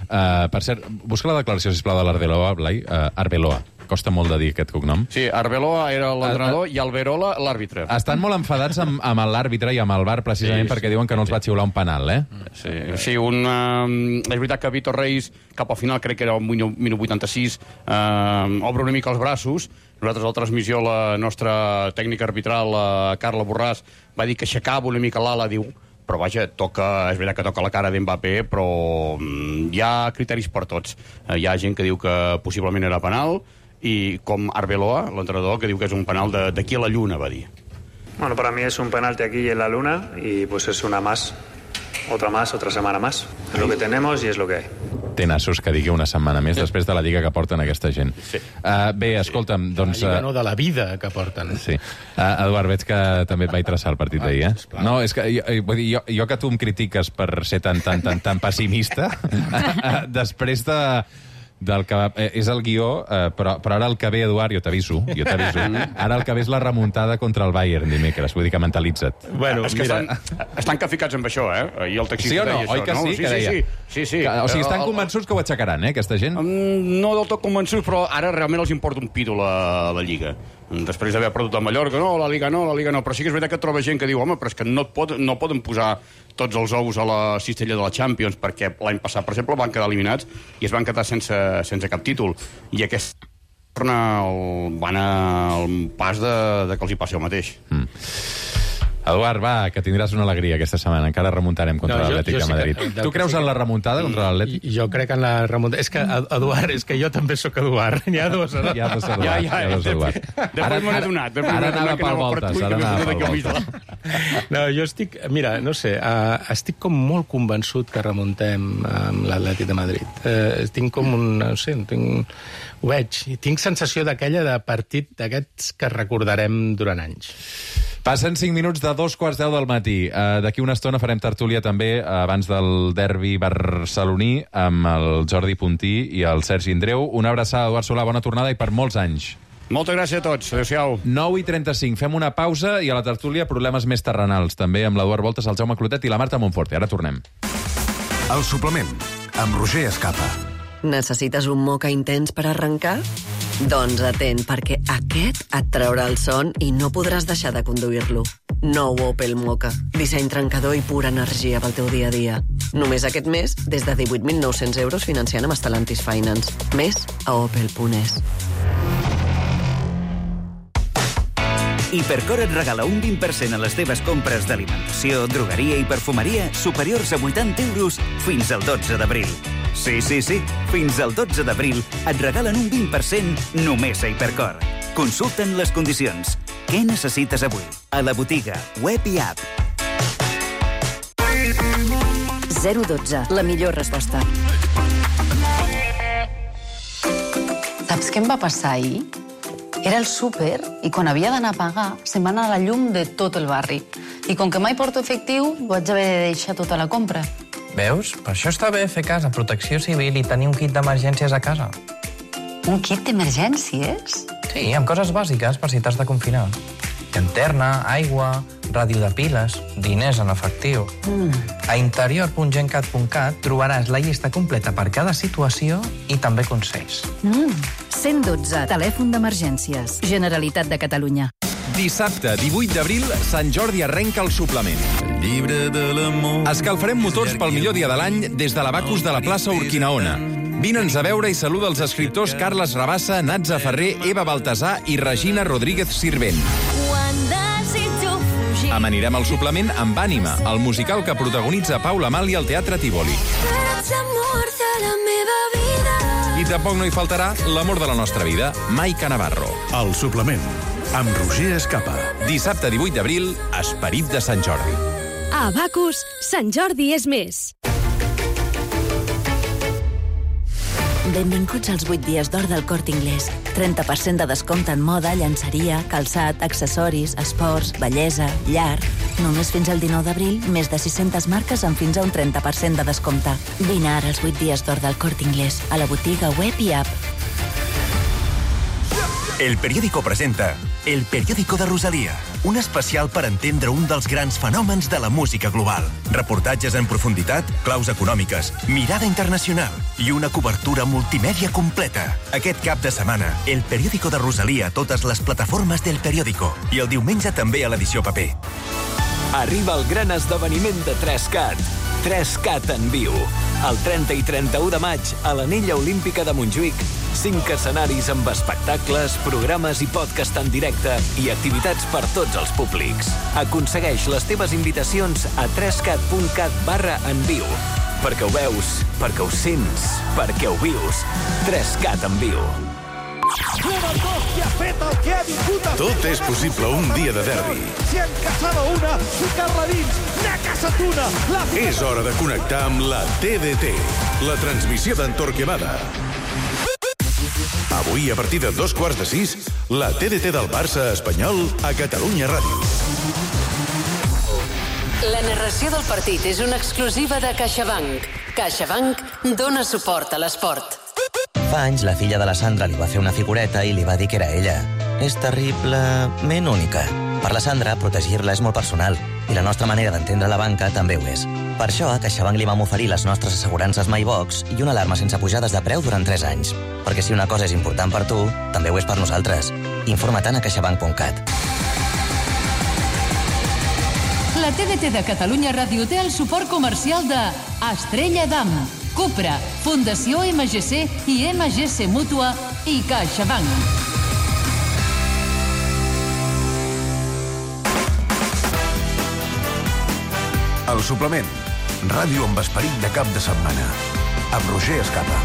Uh, per cert, busca la declaració, sisplau, de l'Arbeloa, Blai. Uh, Arbeloa. costa molt de dir aquest cognom. Sí, Arbeloa era l'entrenador i Alberola l'àrbitre. Estan molt enfadats amb, amb l'àrbitre i amb el V A R, precisament sí, perquè sí, diuen que no els va xiular un penal, eh? Sí, sí un, uh, és veritat que Víctor Reis, cap al final, crec que era el minut vuitanta-sis, uh, obre una mica els braços. Nosaltres, a la transmissió, la nostra tècnica arbitral, la Carla Borràs, va dir que aixecava una mica l'ala, diu... Però, vaja, toca, és veritat que toca la cara d'Mbappé, però hi ha criteris per tots. Hi ha gent que diu que possiblement era penal, i com Arbeloa, l'entrenador, que diu que és un penal d'aquí a la lluna, va dir. Bueno, para mí es un penalti aquí en la luna, y pues es una más, otra más, otra semana más. Es lo que tenemos y es lo que hay. Té nassos que digui una setmana més després de la lliga que porten aquesta gent. Sí. Uh, bé, escolta'm, doncs... La lliga no, de la vida que porten. Sí. Uh, Eduard, veig que també et vaig traçar el partit d'ahir, eh? Ah, no, és que jo, vull dir, jo, jo que tu em critiques per ser tan, tan, tan, tan pessimista, després de... del que eh, és el guió, eh, però, però ara el que ve, Eduard, jo t'aviso, jo t'aviso, ara el que ve és la remuntada contra el Bayern dimecres, vull dir que mentalitza't. Bueno, és que mira... estan, estan caficats amb això, eh? I el taxista sí o no? deia això, Oi que no? sí, sí, que deia? Sí, sí, sí. Que, o sigui, estan el, convençuts que ho aixecaran, eh, aquesta gent? No del tot convençuts, però ara realment els importa un pito la, la Lliga. Després d'haver perdut a Mallorca, no, la Liga no, la Liga no, però sí que és veritat que troba gent que diu, home, però és que no, pot, no poden posar tots els ous a la cistella de la Champions, perquè l'any passat, per exemple, van quedar eliminats i es van quedar sense, sense cap títol. I aquest torna el, van al pas de, de que els hi passi el mateix. Mm. Eduard, va, que tindràs una alegria aquesta setmana. Encara remuntarem contra no, l'Atlètic de Madrid. Sí que, tu creus sí que... en la remuntada contra l'Atlètic? Jo crec en la remuntada. És que, Eduard, és que jo també sóc Eduard. N'hi ha dos, no? Hi ha dos Eduard. Ja, ja, hi ha dos Eduard. Després m'ho he donat. Ara anava pel voltes, ara anava pel voltes. No, jo estic... Mira, no sé, uh, estic com molt convençut que remuntem amb l'Atlètic de Madrid. Uh, tinc com un... No sé, tinc... Ho veig. Tinc sensació d'aquella de partit d'aquests que recordarem durant anys. Passen cinc minuts de dos quarts deu del matí. Uh, D'aquí una estona farem tertúlia també uh, abans del derbi barceloní amb el Jordi Puntí i el Sergi Indreu. Una abraçada, Eduard Solà, bona tornada i per molts anys. Moltes gràcies a tots. Adéu-siau. nou i trenta-cinc. Fem una pausa i a la tertúlia problemes més terrenals. També amb l'Eduard Voltes, el Jaume Clotet i la Marta Monforte. Ara tornem. El suplement, amb Roger Escapa. Necessites un moca intens per arrencar? Doncs atent, perquè aquest et traurà el son i no podràs deixar de conduir-lo. Nou Opel Moka. Disseny trencador i pura energia pel teu dia a dia. Només aquest mes, des de divuit mil nou-cents euros financiant amb Stellantis Finance. Més a opel punt es. Hipercor et regala un vint per cent a les teves compres d'alimentació, drogueria i perfumeria superiors a vuitanta euros fins al dotze d'abril. Sí, sí, sí, fins al dotze d'abril et regalen un vint per cent només a Hipercor. Consulta'n les condicions. Què necessites avui? A la botiga, web i app. zero dotze, la millor resposta. Saps què em va passar ahir? Era el súper i quan havia d'anar a pagar se'm va anar la llum de tot el barri. I com que mai porto efectiu, vaig haver de deixar tota la compra. Veus? Per això està bé fer cas a Protecció Civil i tenir un kit d'emergències a casa. Un kit d'emergències? Sí, amb coses bàsiques per si t'has de confinar. Llanterna, aigua, ràdio de piles, diners en efectiu. Mm. A interior punt gencat punt cat trobaràs la llista completa per cada situació i també consells. Mm. cent dotze, telèfon d'emergències. Generalitat de Catalunya. Dissabte, divuit d'abril, Sant Jordi arrenca el suplement. El llibre de l'amor... Escalfarem motors pel millor dia de l'any des de l'Abacus de la plaça Urquinaona. Vine'ns a veure i saluda els escriptors Carles Rabassa, Natza Ferrer, Eva Baltasar i Regina Rodríguez Sirvent. Amanirem el suplement amb Ànima, el musical que protagonitza Paula Mali al Teatre Tívoli. I tampoc no hi faltarà l'amor de la nostra vida, Maica Navarro. El suplement, amb Roger Escapa. Dissabte divuit d'abril, Esperit de Sant Jordi. A Abacus, Sant Jordi és més. Benvinguts als vuit dies d'or del Corte Inglés. trenta per cent de descompte en moda, llançeria, calçat, accessoris, esports, bellesa, llar. Només fins al dinou d'abril, més de sis-centes marques amb fins a un trenta per cent de descompte. Vine ara als vuit dies d'or del Corte Inglés, a la botiga web i app. El Periódico presenta El Periódico de Rosalía, un especial per entendre un dels grans fenòmens de la música global. Reportatges en profunditat, claus econòmiques, mirada internacional i una cobertura multimèdia completa. Aquest cap de setmana, El Periódico de Rosalía a totes les plataformes del Periódico i el diumenge també a l'edició paper. Arriba el gran esdeveniment de tres cat. tres cat en viu. El trenta i trenta-u de maig, a l'Anella Olímpica de Montjuïc, cinc escenaris amb espectacles, programes i podcast en directe i activitats per tots els públics. Aconsegueix les teves invitacions a tres cat punt cat barra en viu. Perquè ho veus, perquè ho sents, perquè ho vius. tres cat en viu. Tot és possible un dia de derbi. Si en caçava una, ficar-la dins, n'ha caçat una. La... És hora de connectar amb la T D T, la transmissió d'en Torquemada. Avui, a partir de dos quarts de sis, la T D T del Barça espanyol a Catalunya Ràdio. La narració del partit és una exclusiva de CaixaBank. CaixaBank dona suport a l'esport. Fa anys, la filla de la Sandra li va fer una figureta i li va dir que era ella. És terriblement única. Per la Sandra, protegir-la és molt personal, i la nostra manera d'entendre la banca també ho és. Per això, a CaixaBank li vam oferir les nostres assegurances MyBox i una alarma sense pujades de preu durant tres anys. Perquè si una cosa és important per tu, també ho és per nosaltres. Informa-te'n a caixabank punt cat. La T D T de Catalunya Ràdio té el suport comercial de Estrella Damm, Cupra, Fundació M G C i M G C Mútua i CaixaBank. El suplement. Ràdio amb esperit de cap de setmana. Amb Roger Escapa.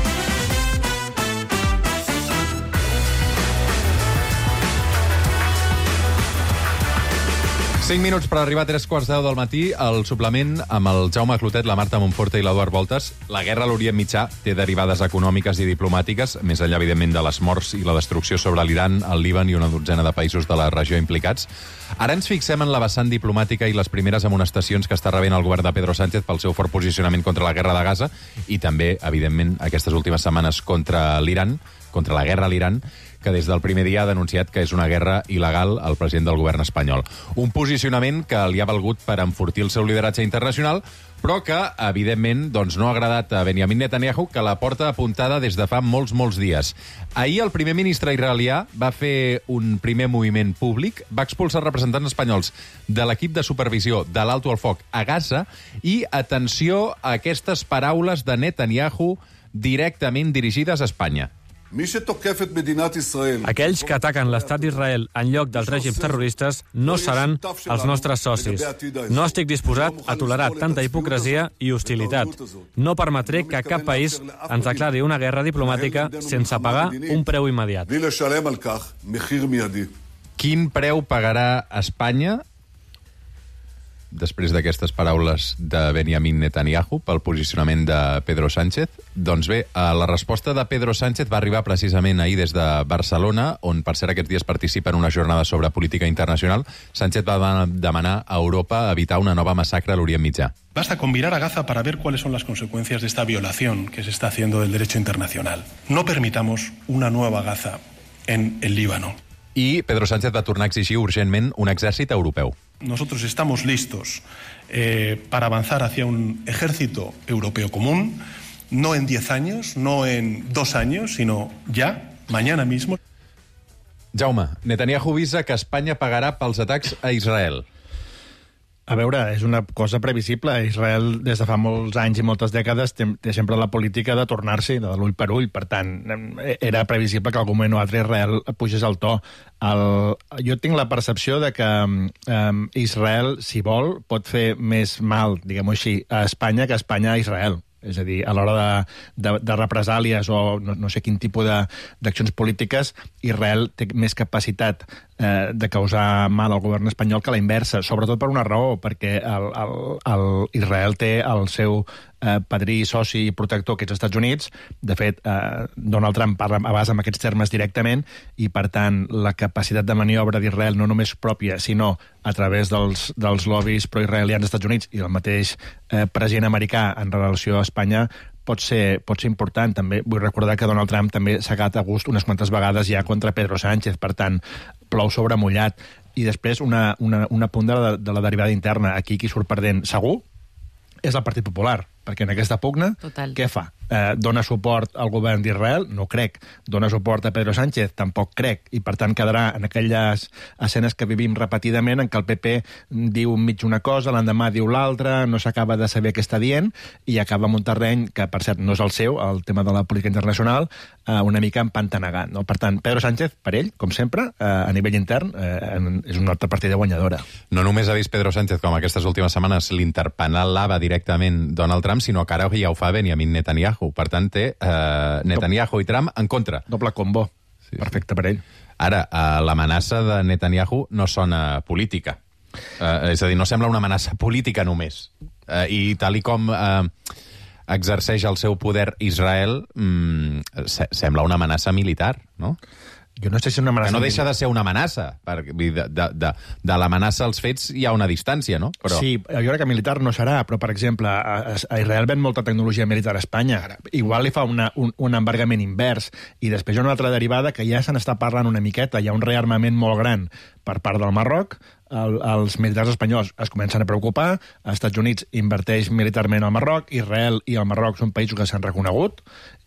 cinc minuts per arribar a tres quarts de deu del matí. El suplement amb el Jaume Clotet, la Marta Montforte i l'Eduard Voltes. La guerra a l'Orient Mitjà té derivades econòmiques i diplomàtiques, més enllà, evidentment, de les morts i la destrucció sobre l'Iran, el Líban i una dotzena de països de la regió implicats. Ara ens fixem en la vessant diplomàtica i les primeres amonestacions que està rebent el govern de Pedro Sánchez pel seu fort posicionament contra la guerra de Gaza i també, evidentment, aquestes últimes setmanes contra l'Iran, contra la guerra a l'Iran, que des del primer dia ha denunciat que és una guerra il·legal al president del govern espanyol. Un posicionament que li ha valgut per enfortir el seu lideratge internacional, però que, evidentment, doncs, no ha agradat a Benjamin Netanyahu, que la porta apuntada des de fa molts, molts dies. Ahir el primer ministre israelià va fer un primer moviment públic, va expulsar representants espanyols de l'equip de supervisió de l'Alto al Foc a Gaza i, atenció a aquestes paraules de Netanyahu directament dirigides a Espanya. Aquells que ataquen l'estat d'Israel en lloc dels règims terroristes no seran els nostres socis. No estic disposat a tolerar tanta hipocresia i hostilitat. No permetré que cap país ens declari una guerra diplomàtica sense pagar un preu immediat. Quin preu pagarà Espanya després d'aquestes paraules de Benjamin Netanyahu pel posicionament de Pedro Sánchez? Doncs bé, la resposta de Pedro Sánchez va arribar precisament ahir des de Barcelona, on per cert aquests dies participa en una jornada sobre política internacional. Sánchez va demanar a Europa evitar una nova massacre a l'Orient Mitjà. Basta con mirar a Gaza para ver cuáles son las consecuencias de esta violación que se está haciendo del derecho internacional. No permitamos una nueva Gaza en el Líbano. I Pedro Sánchez va tornar a exigir urgentment un exèrcit europeu. Nosotros estamos listos eh, para avanzar hacia un ejército europeo común, no en diez años, no en dos años, sino ya, mañana mismo. Jaume, Netanyahu avisa que Espanya pagarà pels atacs a Israel. A veure, és una cosa previsible. Israel, des de fa molts anys i moltes dècades, té, té sempre la política de tornar-s'hi, de l'ull per ull. Per tant, era previsible que algun moment o altre Israel pugés el to. El, jo tinc la percepció de que um, Israel, si vol, pot fer més mal, diguem-ho així, a Espanya que a Espanya a Israel. És a dir, a l'hora de, de, de represàlies o no, no sé quin tipus d'accions polítiques, Israel té més capacitat eh, de causar mal al govern espanyol que la inversa, sobretot per una raó, perquè el, el, el Israel té el seu eh, padrí, soci i protector, que és els Estats Units. De fet, eh, Donald Trump parla a base amb aquests termes directament i, per tant, la capacitat de maniobra d'Israel no només pròpia, sinó a través dels, dels lobbies proisraelians dels Estats Units i el mateix eh, president americà en relació a Espanya pot ser, pot ser important. També vull recordar que Donald Trump també s'ha agat a gust unes quantes vegades ja contra Pedro Sánchez, per tant, plou sobre mullat. i després una, una, una punt de la, de la derivada interna. Aquí qui surt perdent segur és el Partit Popular, perquè en aquesta pugna, Total. què fa? Eh, dona suport al govern d'Israel? No crec. Dona suport a Pedro Sánchez? Tampoc crec. I, per tant, quedarà en aquelles escenes que vivim repetidament en què el P P diu mig una cosa, l'endemà diu l'altra, no s'acaba de saber què està dient, i acaba en un terreny que, per cert, no és el seu, el tema de la política internacional, eh, una mica empantanegat. No? Per tant, Pedro Sánchez, per ell, com sempre, eh, a nivell intern, eh, és una altra partida guanyadora. No només ha vist Pedro Sánchez, com aquestes últimes setmanes l'interpel·lava directament Donald Trump, sinó que ara ja ho fa Benjamin Netanyahu. Per tant, té eh, Netanyahu i Trump en contra. Doble combo. Sí. Perfecte per ell. Ara, eh, l'amenaça de Netanyahu no sona política. Eh, és a dir, no sembla una amenaça política només. Eh, I tal i com eh, exerceix el seu poder Israel, mm, se sembla una amenaça militar, no? Jo no sé si és una amenaça... Que no deixa de ser una amenaça. Perquè de, de, de, de l'amenaça als fets hi ha una distància, no? Però... Sí, jo crec que militar no serà, però, per exemple, a, a Israel ven molta tecnologia militar a Espanya. Igual li fa una, un, un embargament invers. I després hi ha una altra derivada que ja se n'està parlant una miqueta. Hi ha un rearmament molt gran per part del Marroc. El, els militars espanyols es comencen a preocupar, els Estats Units inverteix militarment al Marroc, Israel i el Marroc són països que s'han reconegut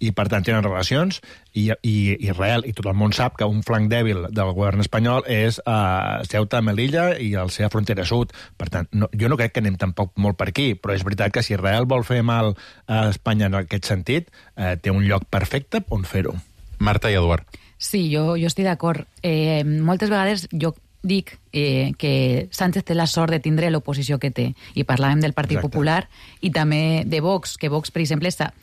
i, per tant, tenen relacions, i, i Israel i tot el món sap que un flanc dèbil del govern espanyol és uh, Ceuta, Melilla i la seva frontera sud. Per tant, no, jo no crec que anem tampoc molt per aquí, però és veritat que si Israel vol fer mal a Espanya en aquest sentit, uh, té un lloc perfecte on fer-ho. Marta i Eduard. Sí, jo, jo estic d'acord. Eh, moltes vegades jo dic eh, que Sánchez té la sort de tindre l'oposició que té. I parlàvem del Partit Exacte. Popular i també de Vox, que Vox, per exemple, està,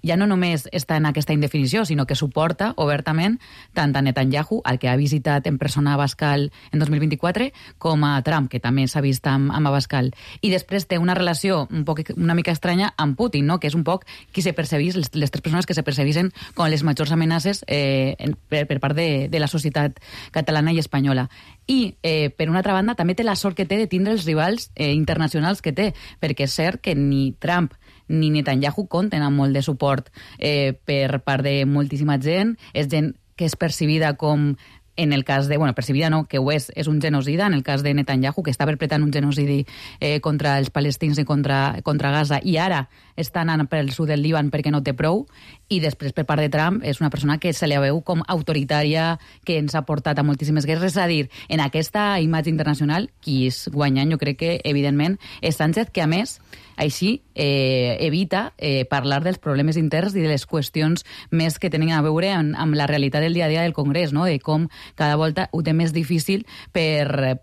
ja no només està en aquesta indefinició, sinó que suporta obertament tant a Netanyahu, al que ha visitat en persona a Abascal en dos mil vint-i-quatre, com a Trump, que també s'ha vist amb, amb Abascal. I després té una relació un poc, una mica estranya amb Putin, no? Que és un poc qui se percebís, les, les tres persones que se percebissin com les majors amenaces eh, en, per, per part de, de la societat catalana i espanyola. I, eh, per una altra banda, també té la sort que té de tindre els rivals eh, internacionals que té, perquè és cert que ni Trump ni Netanyahu compten amb molt de suport eh, per part de moltíssima gent. És gent que és percibida com, en el cas de... Bueno, percibida no, que ho és, és un genocida, en el cas de Netanyahu, que està perpetrant un genocidi eh, contra els palestins i contra, contra Gaza, i ara està anant pel sud del Líban perquè no té prou, i després per part de Trump és una persona que se la veu com autoritària, que ens ha portat a moltíssimes guerres. És a dir, en aquesta imatge internacional, qui és guanyant, jo crec que, evidentment, és Sánchez, que a més així eh, evita eh, parlar dels problemes interns i de les qüestions més que tenen a veure amb, amb la realitat del dia a dia del Congrés, no? De com cada volta ho té més difícil per eh,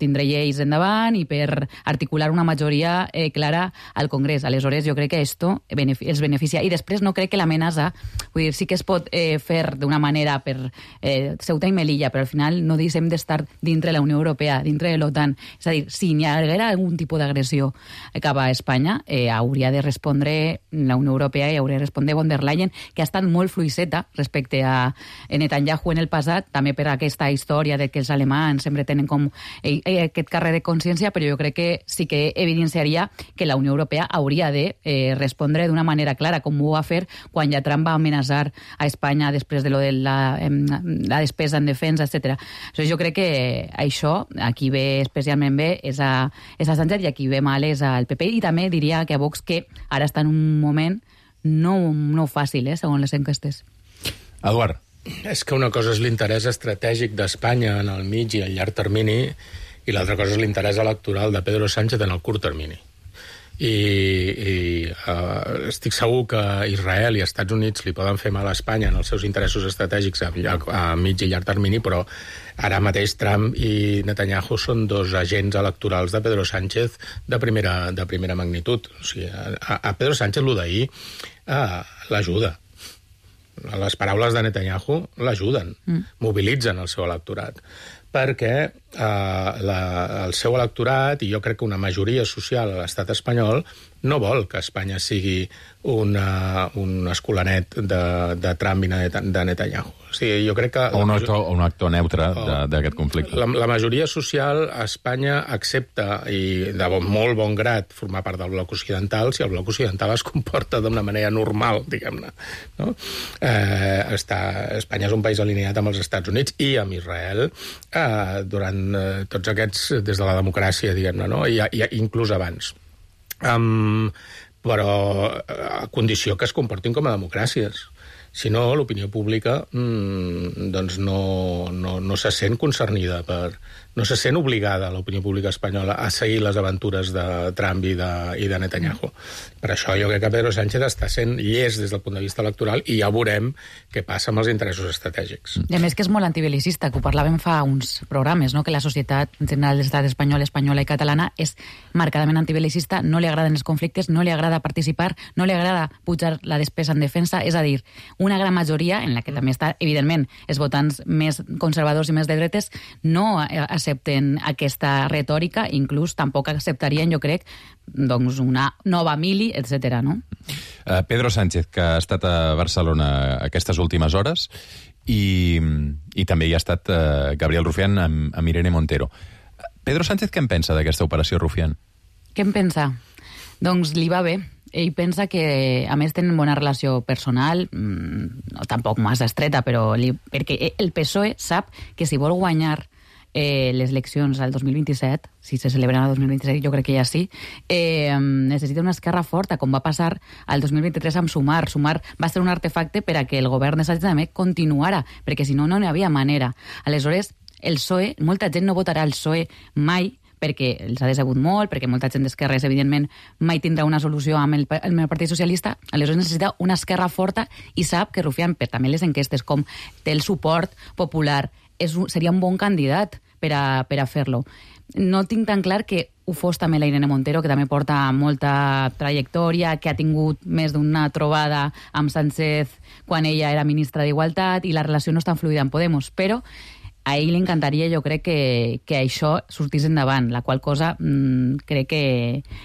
tindre lleis endavant i per articular una majoria eh, clara al Congrés. Aleshores, jo crec que esto els beneficia. I després no crec que l'amenaça, vull dir, sí que es pot eh, fer d'una manera per eh, Ceuta i Melilla, però al final no deixem d'estar dintre la Unió Europea, dintre de l'OTAN. És a dir, si hi haguera algun tipus d'agressió cap a Espanya, eh, hauria de respondre la Unió Europea i hauria de respondre von der Leyen, que ha estat molt fluixeta respecte a Netanyahu en el passat, també per aquesta història de que els alemans sempre tenen com eh, aquest carrer de consciència, però jo crec que sí que evidenciaria que la Unió Europea hauria de eh, respondre d'una manera clara, com ho va fer quan ja Trump va amenaçar a Espanya després de lo de la, eh, la despesa en defensa, etcètera. Jo crec que això, aquí ve especialment bé, és a, és a Sánchez, i aquí ve mal és al P P, i també diria que a Vox, que ara està en un moment no, no fàcil, eh, segons les enquestes. Eduard. És que una cosa és l'interès estratègic d'Espanya en el mig i el llarg termini, i l'altra cosa és l'interès electoral de Pedro Sánchez en el curt termini. I, i uh, estic segur que Israel i Estats Units li poden fer mal a Espanya en els seus interessos estratègics a, a mig i llarg termini, però ara mateix Trump i Netanyahu són dos agents electorals de Pedro Sánchez de primera, de primera magnitud. O sigui, a, a Pedro Sánchez lo d'ahir uh, l'ajuda. Les paraules de Netanyahu l'ajuden, mm. mobilitzen el seu electorat, perquè eh, la, el seu electorat, i jo crec que una majoria social a l'estat espanyol, no vol que Espanya sigui una, un escolanet de, de Trump i de Netanyahu. O sigui, jo crec que... O un actor, un actor neutre d'aquest conflicte. La, la majoria social a Espanya accepta, i de bon, molt bon grat, formar part del bloc occidental si el bloc occidental es comporta d'una manera normal, diguem-ne. No? Eh, està, Espanya és un país alineat amb els Estats Units i amb Israel eh, durant eh, tots aquests, des de la democràcia, diguem-ne, no? I, i inclús abans. Um, però a condició que es comportin com a democràcies. Si no, l'opinió pública mmm, doncs no, no, no se sent concernida per... No se sent obligada, l'opinió pública espanyola, a seguir les aventures de Trump i de, i de Netanyahu. Per això jo crec que Pedro Sánchez està sent llest des del punt de vista electoral i ja veurem què passa amb els interessos estratègics. I a més que és molt antibelicista, que ho parlàvem fa uns programes, no? Que la societat en general de l'estat espanyol, espanyola i catalana és marcadament antibelicista, no li agraden els conflictes, no li agrada participar, no li agrada pujar la despesa en defensa, és a dir, una gran majoria, en la que també està, evidentment, els votants més conservadors i més de dretes, no accepten aquesta retòrica, inclús tampoc acceptarien, jo crec, doncs una nova mili, etcètera, no? Uh, Pedro Sánchez, que ha estat a Barcelona aquestes últimes hores, i, i també hi ha estat uh, Gabriel Rufián amb, amb Irene Montero. Pedro Sánchez, què en pensa d'aquesta operació Rufián? Què en pensa? Doncs li va bé. Ell pensa que, a més, tenen bona relació personal, mmm, no tampoc massa estreta, però li, perquè el P S O E sap que si vol guanyar eh, les eleccions al dos mil vint-i-set, si se celebren al dos mil vint-i-set, jo crec que ja sí, eh, necessita una esquerra forta, com va passar al dos mil vint-i-tres amb Sumar. Sumar va ser un artefacte per a que el govern de Sánchez també continuara, perquè si no, no n'hi havia manera. Aleshores, el P S O E, molta gent no votarà el P S O E mai, perquè els ha decebut molt, perquè molta gent d'esquerres, evidentment, mai tindrà una solució amb el, amb el Partit Socialista, aleshores necessita una esquerra forta i sap que Rufián, per també les enquestes, com té el suport popular, és un, seria un bon candidat per a, per a fer-lo. No tinc tan clar que ho fos també la Irene Montero, que també porta molta trajectòria, que ha tingut més d'una trobada amb Sánchez quan ella era ministra d'Igualtat i la relació no és tan fluida amb Podemos, però a ell li encantaria, jo crec, que, que això sortís endavant, la qual cosa mmm, crec que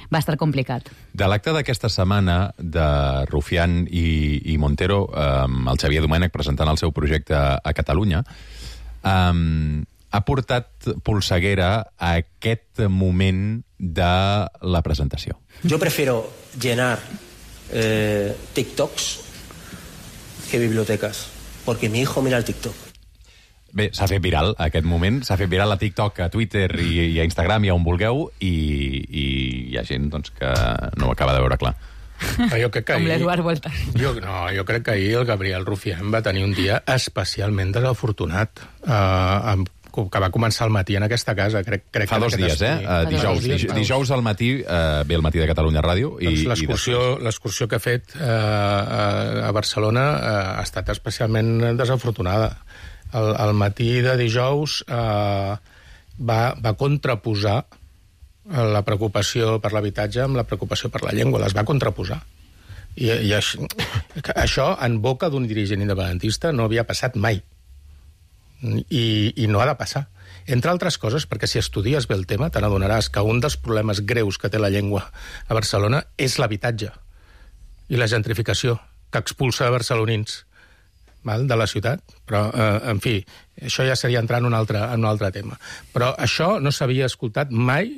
va estar complicat. De l'acte d'aquesta setmana de Rufián i, i Montero, amb el Xavier Domènech presentant el seu projecte a Catalunya, um, ha portat polseguera a aquest moment de la presentació. Yo prefiero llenar eh, TikToks que bibliotecas, porque mi hijo mira el TikTok. Bé, s'ha fet viral aquest moment, s'ha fet viral a TikTok, a Twitter i, i a Instagram, i on vulgueu, i, i hi ha gent doncs, que no ho acaba de veure clar. Jo crec que Com ahir, l'Eduard Volta. Jo, no, jo crec que ahir el Gabriel Rufián va tenir un dia especialment desafortunat, eh, amb, que va començar al matí en aquesta casa. Crec, crec Fa que dos dies, eh? Uh, dijous, dies, dijous al matí, uh, ve el matí de Catalunya Ràdio. Doncs l'excursió que ha fet uh, a Barcelona uh, ha estat especialment desafortunada. Al, al matí de dijous eh, va, va contraposar la preocupació per l'habitatge amb la preocupació per la llengua, les va contraposar. I, i això, això en boca d'un dirigent independentista no havia passat mai. I, i no ha de passar. Entre altres coses, perquè si estudies bé el tema te n'adonaràs que un dels problemes greus que té la llengua a Barcelona és l'habitatge i la gentrificació que expulsa barcelonins val, de la ciutat, però, eh, en fi, això ja seria entrar en un altre, en un altre tema. Però això no s'havia escoltat mai,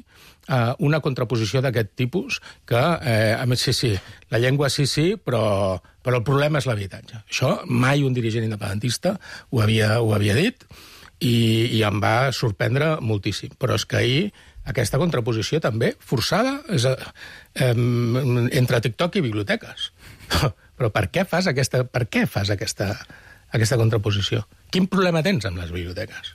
eh, una contraposició d'aquest tipus, que, eh, a més, sí, sí, la llengua sí, sí, però, però el problema és l'habitatge. Això mai un dirigent independentista ho havia, ho havia dit, i, i em va sorprendre moltíssim. Però és que ahir aquesta contraposició també, forçada, és, eh, entre TikTok i biblioteques. Però per què fas aquesta, per què fas aquesta, aquesta contraposició? Quin problema tens amb les biblioteques?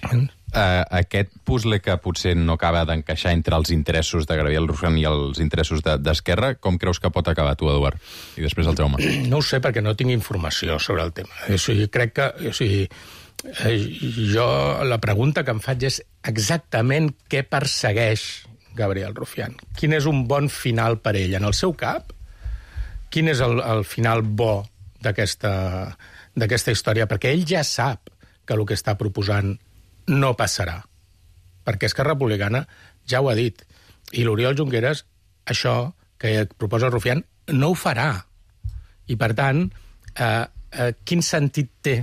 Uh, aquest puzzle que potser no acaba d'encaixar entre els interessos de Gabriel Rufián i els interessos d'Esquerra, de, com creus que pot acabar tu, Eduard? I després el Jaume. No ho sé, perquè no tinc informació sobre el tema. O sigui, crec que... O sigui, jo la pregunta que em faig és exactament què persegueix Gabriel Rufián. Quin és un bon final per ell? En el seu cap, quin és el, el final bo d'aquesta d'aquesta història? Perquè ell ja sap que el que està proposant no passarà. Perquè Esquerra Republicana ja ho ha dit. I l'Oriol Junqueras això que proposa Rufián no ho farà. I, per tant, eh, eh, quin sentit té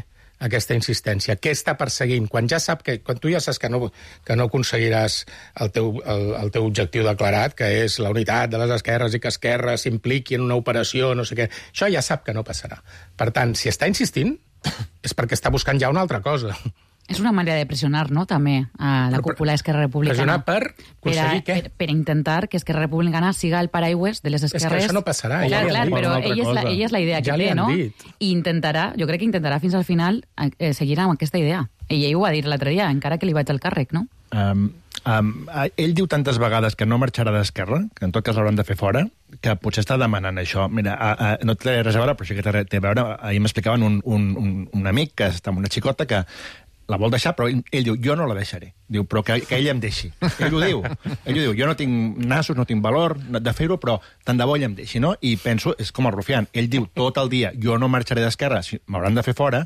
aquesta insistència? Què està perseguint? Quan ja sap que, quan tu ja saps que no, que no aconseguiràs el teu, el, el teu objectiu declarat, que és la unitat de les esquerres i que Esquerra s'impliqui en una operació, no sé què, això ja sap que no passarà. Per tant, si està insistint, és perquè està buscant ja una altra cosa. És una manera de pressionar, no?, també, a la cúpula d'Esquerra Republicana. Pressionar per aconseguir què? Per, per intentar que Esquerra Republicana siga el paraigües de les esquerres. És que això no passarà. Clar, ja clar, però ella és, la, ella és la idea ja que té, no? Dit. I intentarà, jo crec que intentarà fins al final eh, seguir amb aquesta idea. Ella ho va dir l'altre dia, encara que li vaig al càrrec, no? Um, um, ell diu tantes vegades que no marxarà d'Esquerra, que en tot cas l'hauran de fer fora, que potser està demanant això. Mira, a, a, no té res a veure, però sí que té a veure. Ahir m'explicaven un, un, un, un amic que està amb una xicota que la vol deixar, però ell, ell diu, jo no la deixaré. Diu, però que, que ell em deixi. Ell ho diu. Ell ho diu, jo no tinc nassos, no tinc valor de fer-ho, però tant de bo ell em deixi, no? I penso, és com el Rufián, ell diu tot el dia, jo no marxaré d'Esquerra, si m'hauran de fer fora,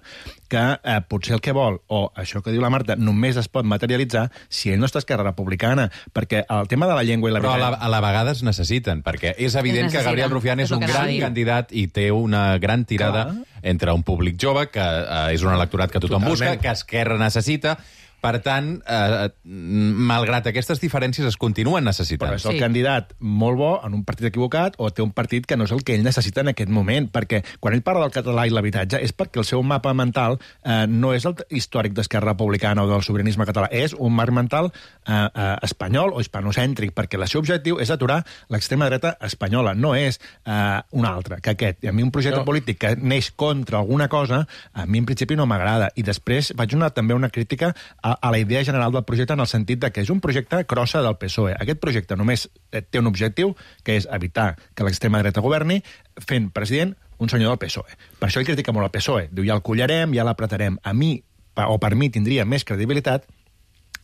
que eh, potser el que vol, o això que diu la Marta, només es pot materialitzar si ell no està a Esquerra Republicana, perquè el tema de la llengua i la... Però a la, a la vegada es necessiten, perquè és evident que Gabriel Rufián és, és un gran candidat i té una gran tirada Clar. entre un públic jove, que eh, és un electorat que tothom Totalment. busca, que Esquerra necessita. Per tant, eh, malgrat aquestes diferències, es continuen necessitant. Però és el sí. candidat molt bo en un partit equivocat o té un partit que no és el que ell necessita en aquest moment, perquè quan ell parla del català i l'habitatge és perquè el seu mapa mental eh, no és el històric d'Esquerra Republicana o del sobiranisme català, és un marc mental eh, eh, espanyol o hispanocèntric, perquè el seu objectiu és aturar l'extrema dreta espanyola, no és eh, un altre que aquest. I a mi un projecte no. polític que neix contra alguna cosa, a mi en principi no m'agrada. I després vaig donar també una crítica a a la idea general del projecte en el sentit de que és un projecte crossa del P S O E. Aquest projecte només té un objectiu, que és evitar que l'extrema dreta governi fent president un senyor del P S O E. Per això ell critica molt el P S O E. Diu, ja el collarem, ja l'apretarem. A mi, o per mi, tindria més credibilitat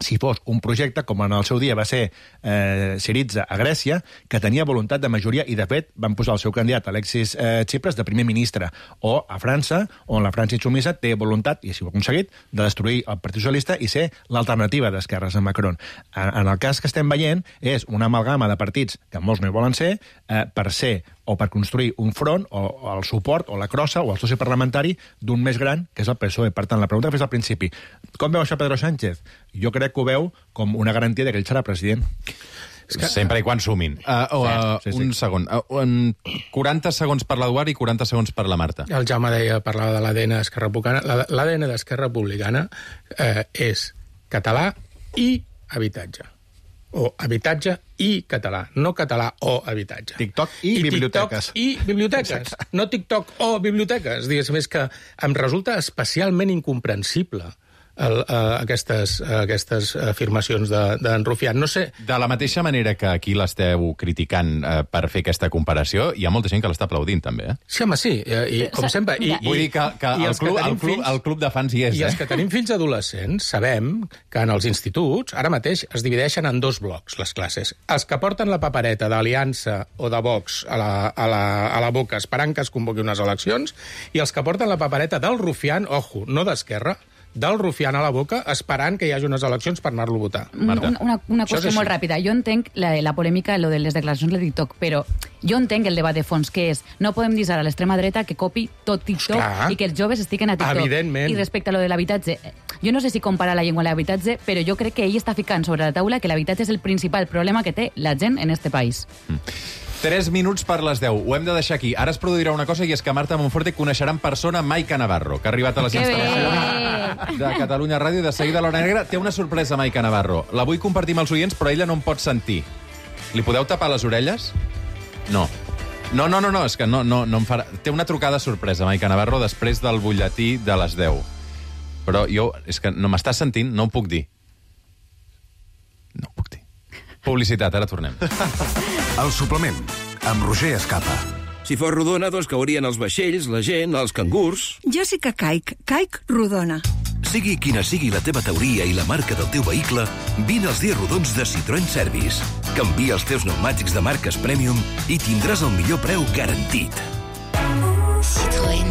si fos un projecte, com en el seu dia va ser eh, Syriza a Grècia, que tenia voluntat de majoria, i de fet van posar el seu candidat, Alexis eh, Tsipras, de primer ministre, o a França, on la França insubmisa té voluntat, i així ho ha aconseguit, de destruir el Partit Socialista i ser l'alternativa d'esquerres a Macron. En, en el cas que estem veient, és una amalgama de partits, que molts no hi volen ser, eh, per ser o per construir un front, o, o el suport, o la crossa, o el soci parlamentari d'un més gran, que és el P S O E. Per tant, la pregunta que fes al principi, com veu això Pedro Sánchez? Jo crec que ho veu com una garantia que ell serà president. És que... Sempre i quan sumin. Uh, uh, sí, sí, sí. Un segon. Uh, quaranta segons per l'Eduard i quaranta segons per la Marta. El Jaume deia, parlava de l'A D N d'Esquerra Republicana. L'A D N d'Esquerra Republicana eh, és català i habitatge. O habitatge i català, no català o habitatge. TikTok i, I biblioteques. TikTok i biblioteques, Exacte. no TikTok o biblioteques. Diguéssim, és que em resulta especialment incomprensible el, uh, aquestes, uh, aquestes afirmacions d'en de, Rufián. No sé... De la mateixa manera que aquí l'esteu criticant uh, per fer aquesta comparació, hi ha molta gent que l'està aplaudint, també, eh? Sí, home, sí, i, i com sempre... I, Vull dir que, que, el, club, que el, club, fills, el club de fans hi és, I eh? els que tenim fills adolescents sabem que en els instituts ara mateix es divideixen en dos blocs, les classes. Els que porten la papereta d'Aliança o de Vox a la, a, la, a la boca esperant que es convoqui unes eleccions, i els que porten la papereta del Rufián, ojo, no d'Esquerra, del Rufián a la boca, esperant que hi hagi unes eleccions per anar-lo a votar. Marta. Una, una, una qüestió molt ràpida. Jo entenc la, la polèmica, lo de les declaracions de TikTok, però jo entenc el debat de fons, que és no podem dir a l'extrema dreta que copi tot TikTok Esclar. i que els joves estiguen a TikTok. Evidentment. I respecte a lo de l'habitatge, jo no sé si compara la llengua a l'habitatge, però jo crec que ell està ficant sobre la taula que l'habitatge és el principal problema que té la gent en este país. Mm. Tres minuts per les deu. Ho hem de deixar aquí. Ara es produirà una cosa, i és que Marta Monforte coneixerà en persona Maica Navarro, que ha arribat a les que instal·lacions bé. de Catalunya Ràdio, i de seguida a l'Hora Negra. Té una sorpresa, Maica Navarro. La vull compartir amb els oients, però ella no em pot sentir. Li podeu tapar les orelles? No. No, no, no, no, és que no, no, no em farà... Té una trucada sorpresa, Maica Navarro, després del butlletí de les deu. Però jo, és que no m'estàs sentint, no ho puc dir. No ho puc dir. Publicitat, ara tornem. El suplement, amb Roger Escapa. Si fos rodona, doncs caurien els vaixells, la gent, els cangurs... Jo sí que caic, caic rodona. Sigui quina sigui la teva teoria i la marca del teu vehicle, vine als dies rodons de Citroën Service. Canvia els teus pneumàtics de marques Premium i tindràs el millor preu garantit. Citroën.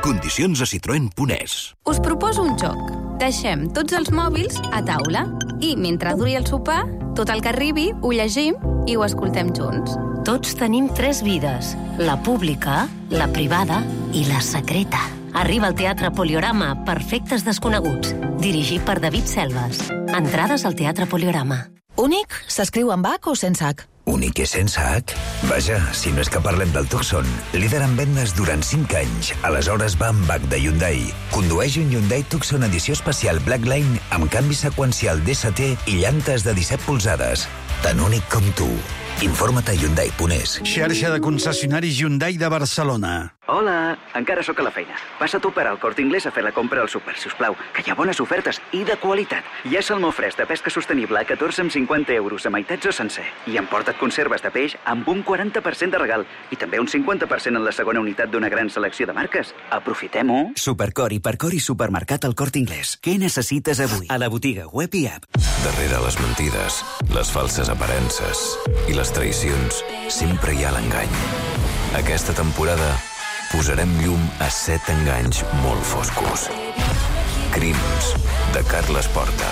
Condicions a citroen punt es. Us proposo un joc. Deixem tots els mòbils a taula i, mentre duri el sopar, tot el que arribi ho llegim i ho escoltem junts. Tots tenim tres vides. La pública, la privada i la secreta. Arriba al Teatre Poliorama, Perfectes desconeguts, dirigit per David Selves. Entrades al Teatre Poliorama. Únic s'escriu amb H o sense H? Únic i sense H? Vaja, si no és que parlem del Tucson, líder en vendes durant cinc anys. Aleshores va amb H de Hyundai. Condueix un Hyundai Tucson edició especial Blackline amb canvi seqüencial D S T i llantes de disset polzades. Tan únic com tu. Informa't a Hyundai punt es. Xarxa de concessionaris Hyundai de Barcelona. Hola, encara sóc a la feina. Passa tu per al Corte Inglés a fer la compra al súper, si us plau, que hi ha bones ofertes i de qualitat. Hi ha salmó fresc de pesca sostenible a catorze coma cinquanta euros a meitats o sencer. I emporta't conserves de peix amb un quaranta per cent de regal i també un cinquanta per cent en la segona unitat d'una gran selecció de marques. Aprofitem-ho. Supercor, Hipercor i Supermercat al Corte Inglés. Què necessites avui? A la botiga web i app. Darrere les mentides, les falses aparences i les traïcions, sempre hi ha l'engany. Aquesta temporada posarem llum a set enganys molt foscos. Crims, de Carles Porta.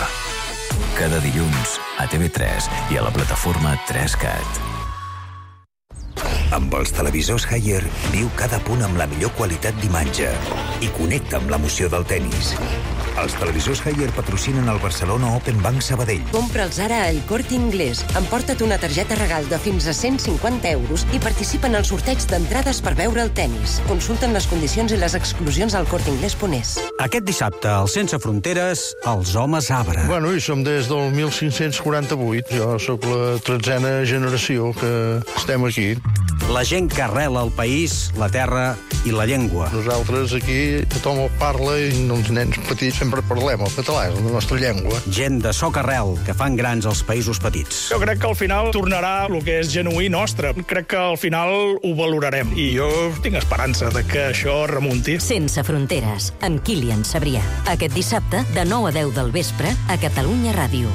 Cada dilluns a T V tres i a la plataforma tres cat. Amb els televisors Haier, viu cada punt amb la millor qualitat d'imatge i connecta amb l'emoció del tennis. Els televisors Haier patrocinen el Barcelona Open Bank Sabadell. Compra'ls ara al Corte Inglés. Emporta't una targeta regal de fins a cent cinquanta euros i participa en el sorteig d'entrades per veure el tennis. Consulten les condicions i les exclusions al corte inglés punt es. Aquest dissabte, al Sense Fronteres, els homes arbre. Bueno, i som des del mil cinc-cents quaranta-vuit. Jo sóc la tretzena generació que estem aquí. La gent que arrela el país, la terra i la llengua. Nosaltres aquí tothom el parla i els nens petits sempre parlem el català, és la nostra llengua. Gent de soc arrel, que fan grans els països petits. Jo crec que al final tornarà el que és genuí nostre. Crec que al final ho valorarem. I jo tinc esperança de que això remunti. Sense Fronteres, amb Kilian Sabrià. Aquest dissabte, de nou a deu del vespre, a Catalunya Ràdio.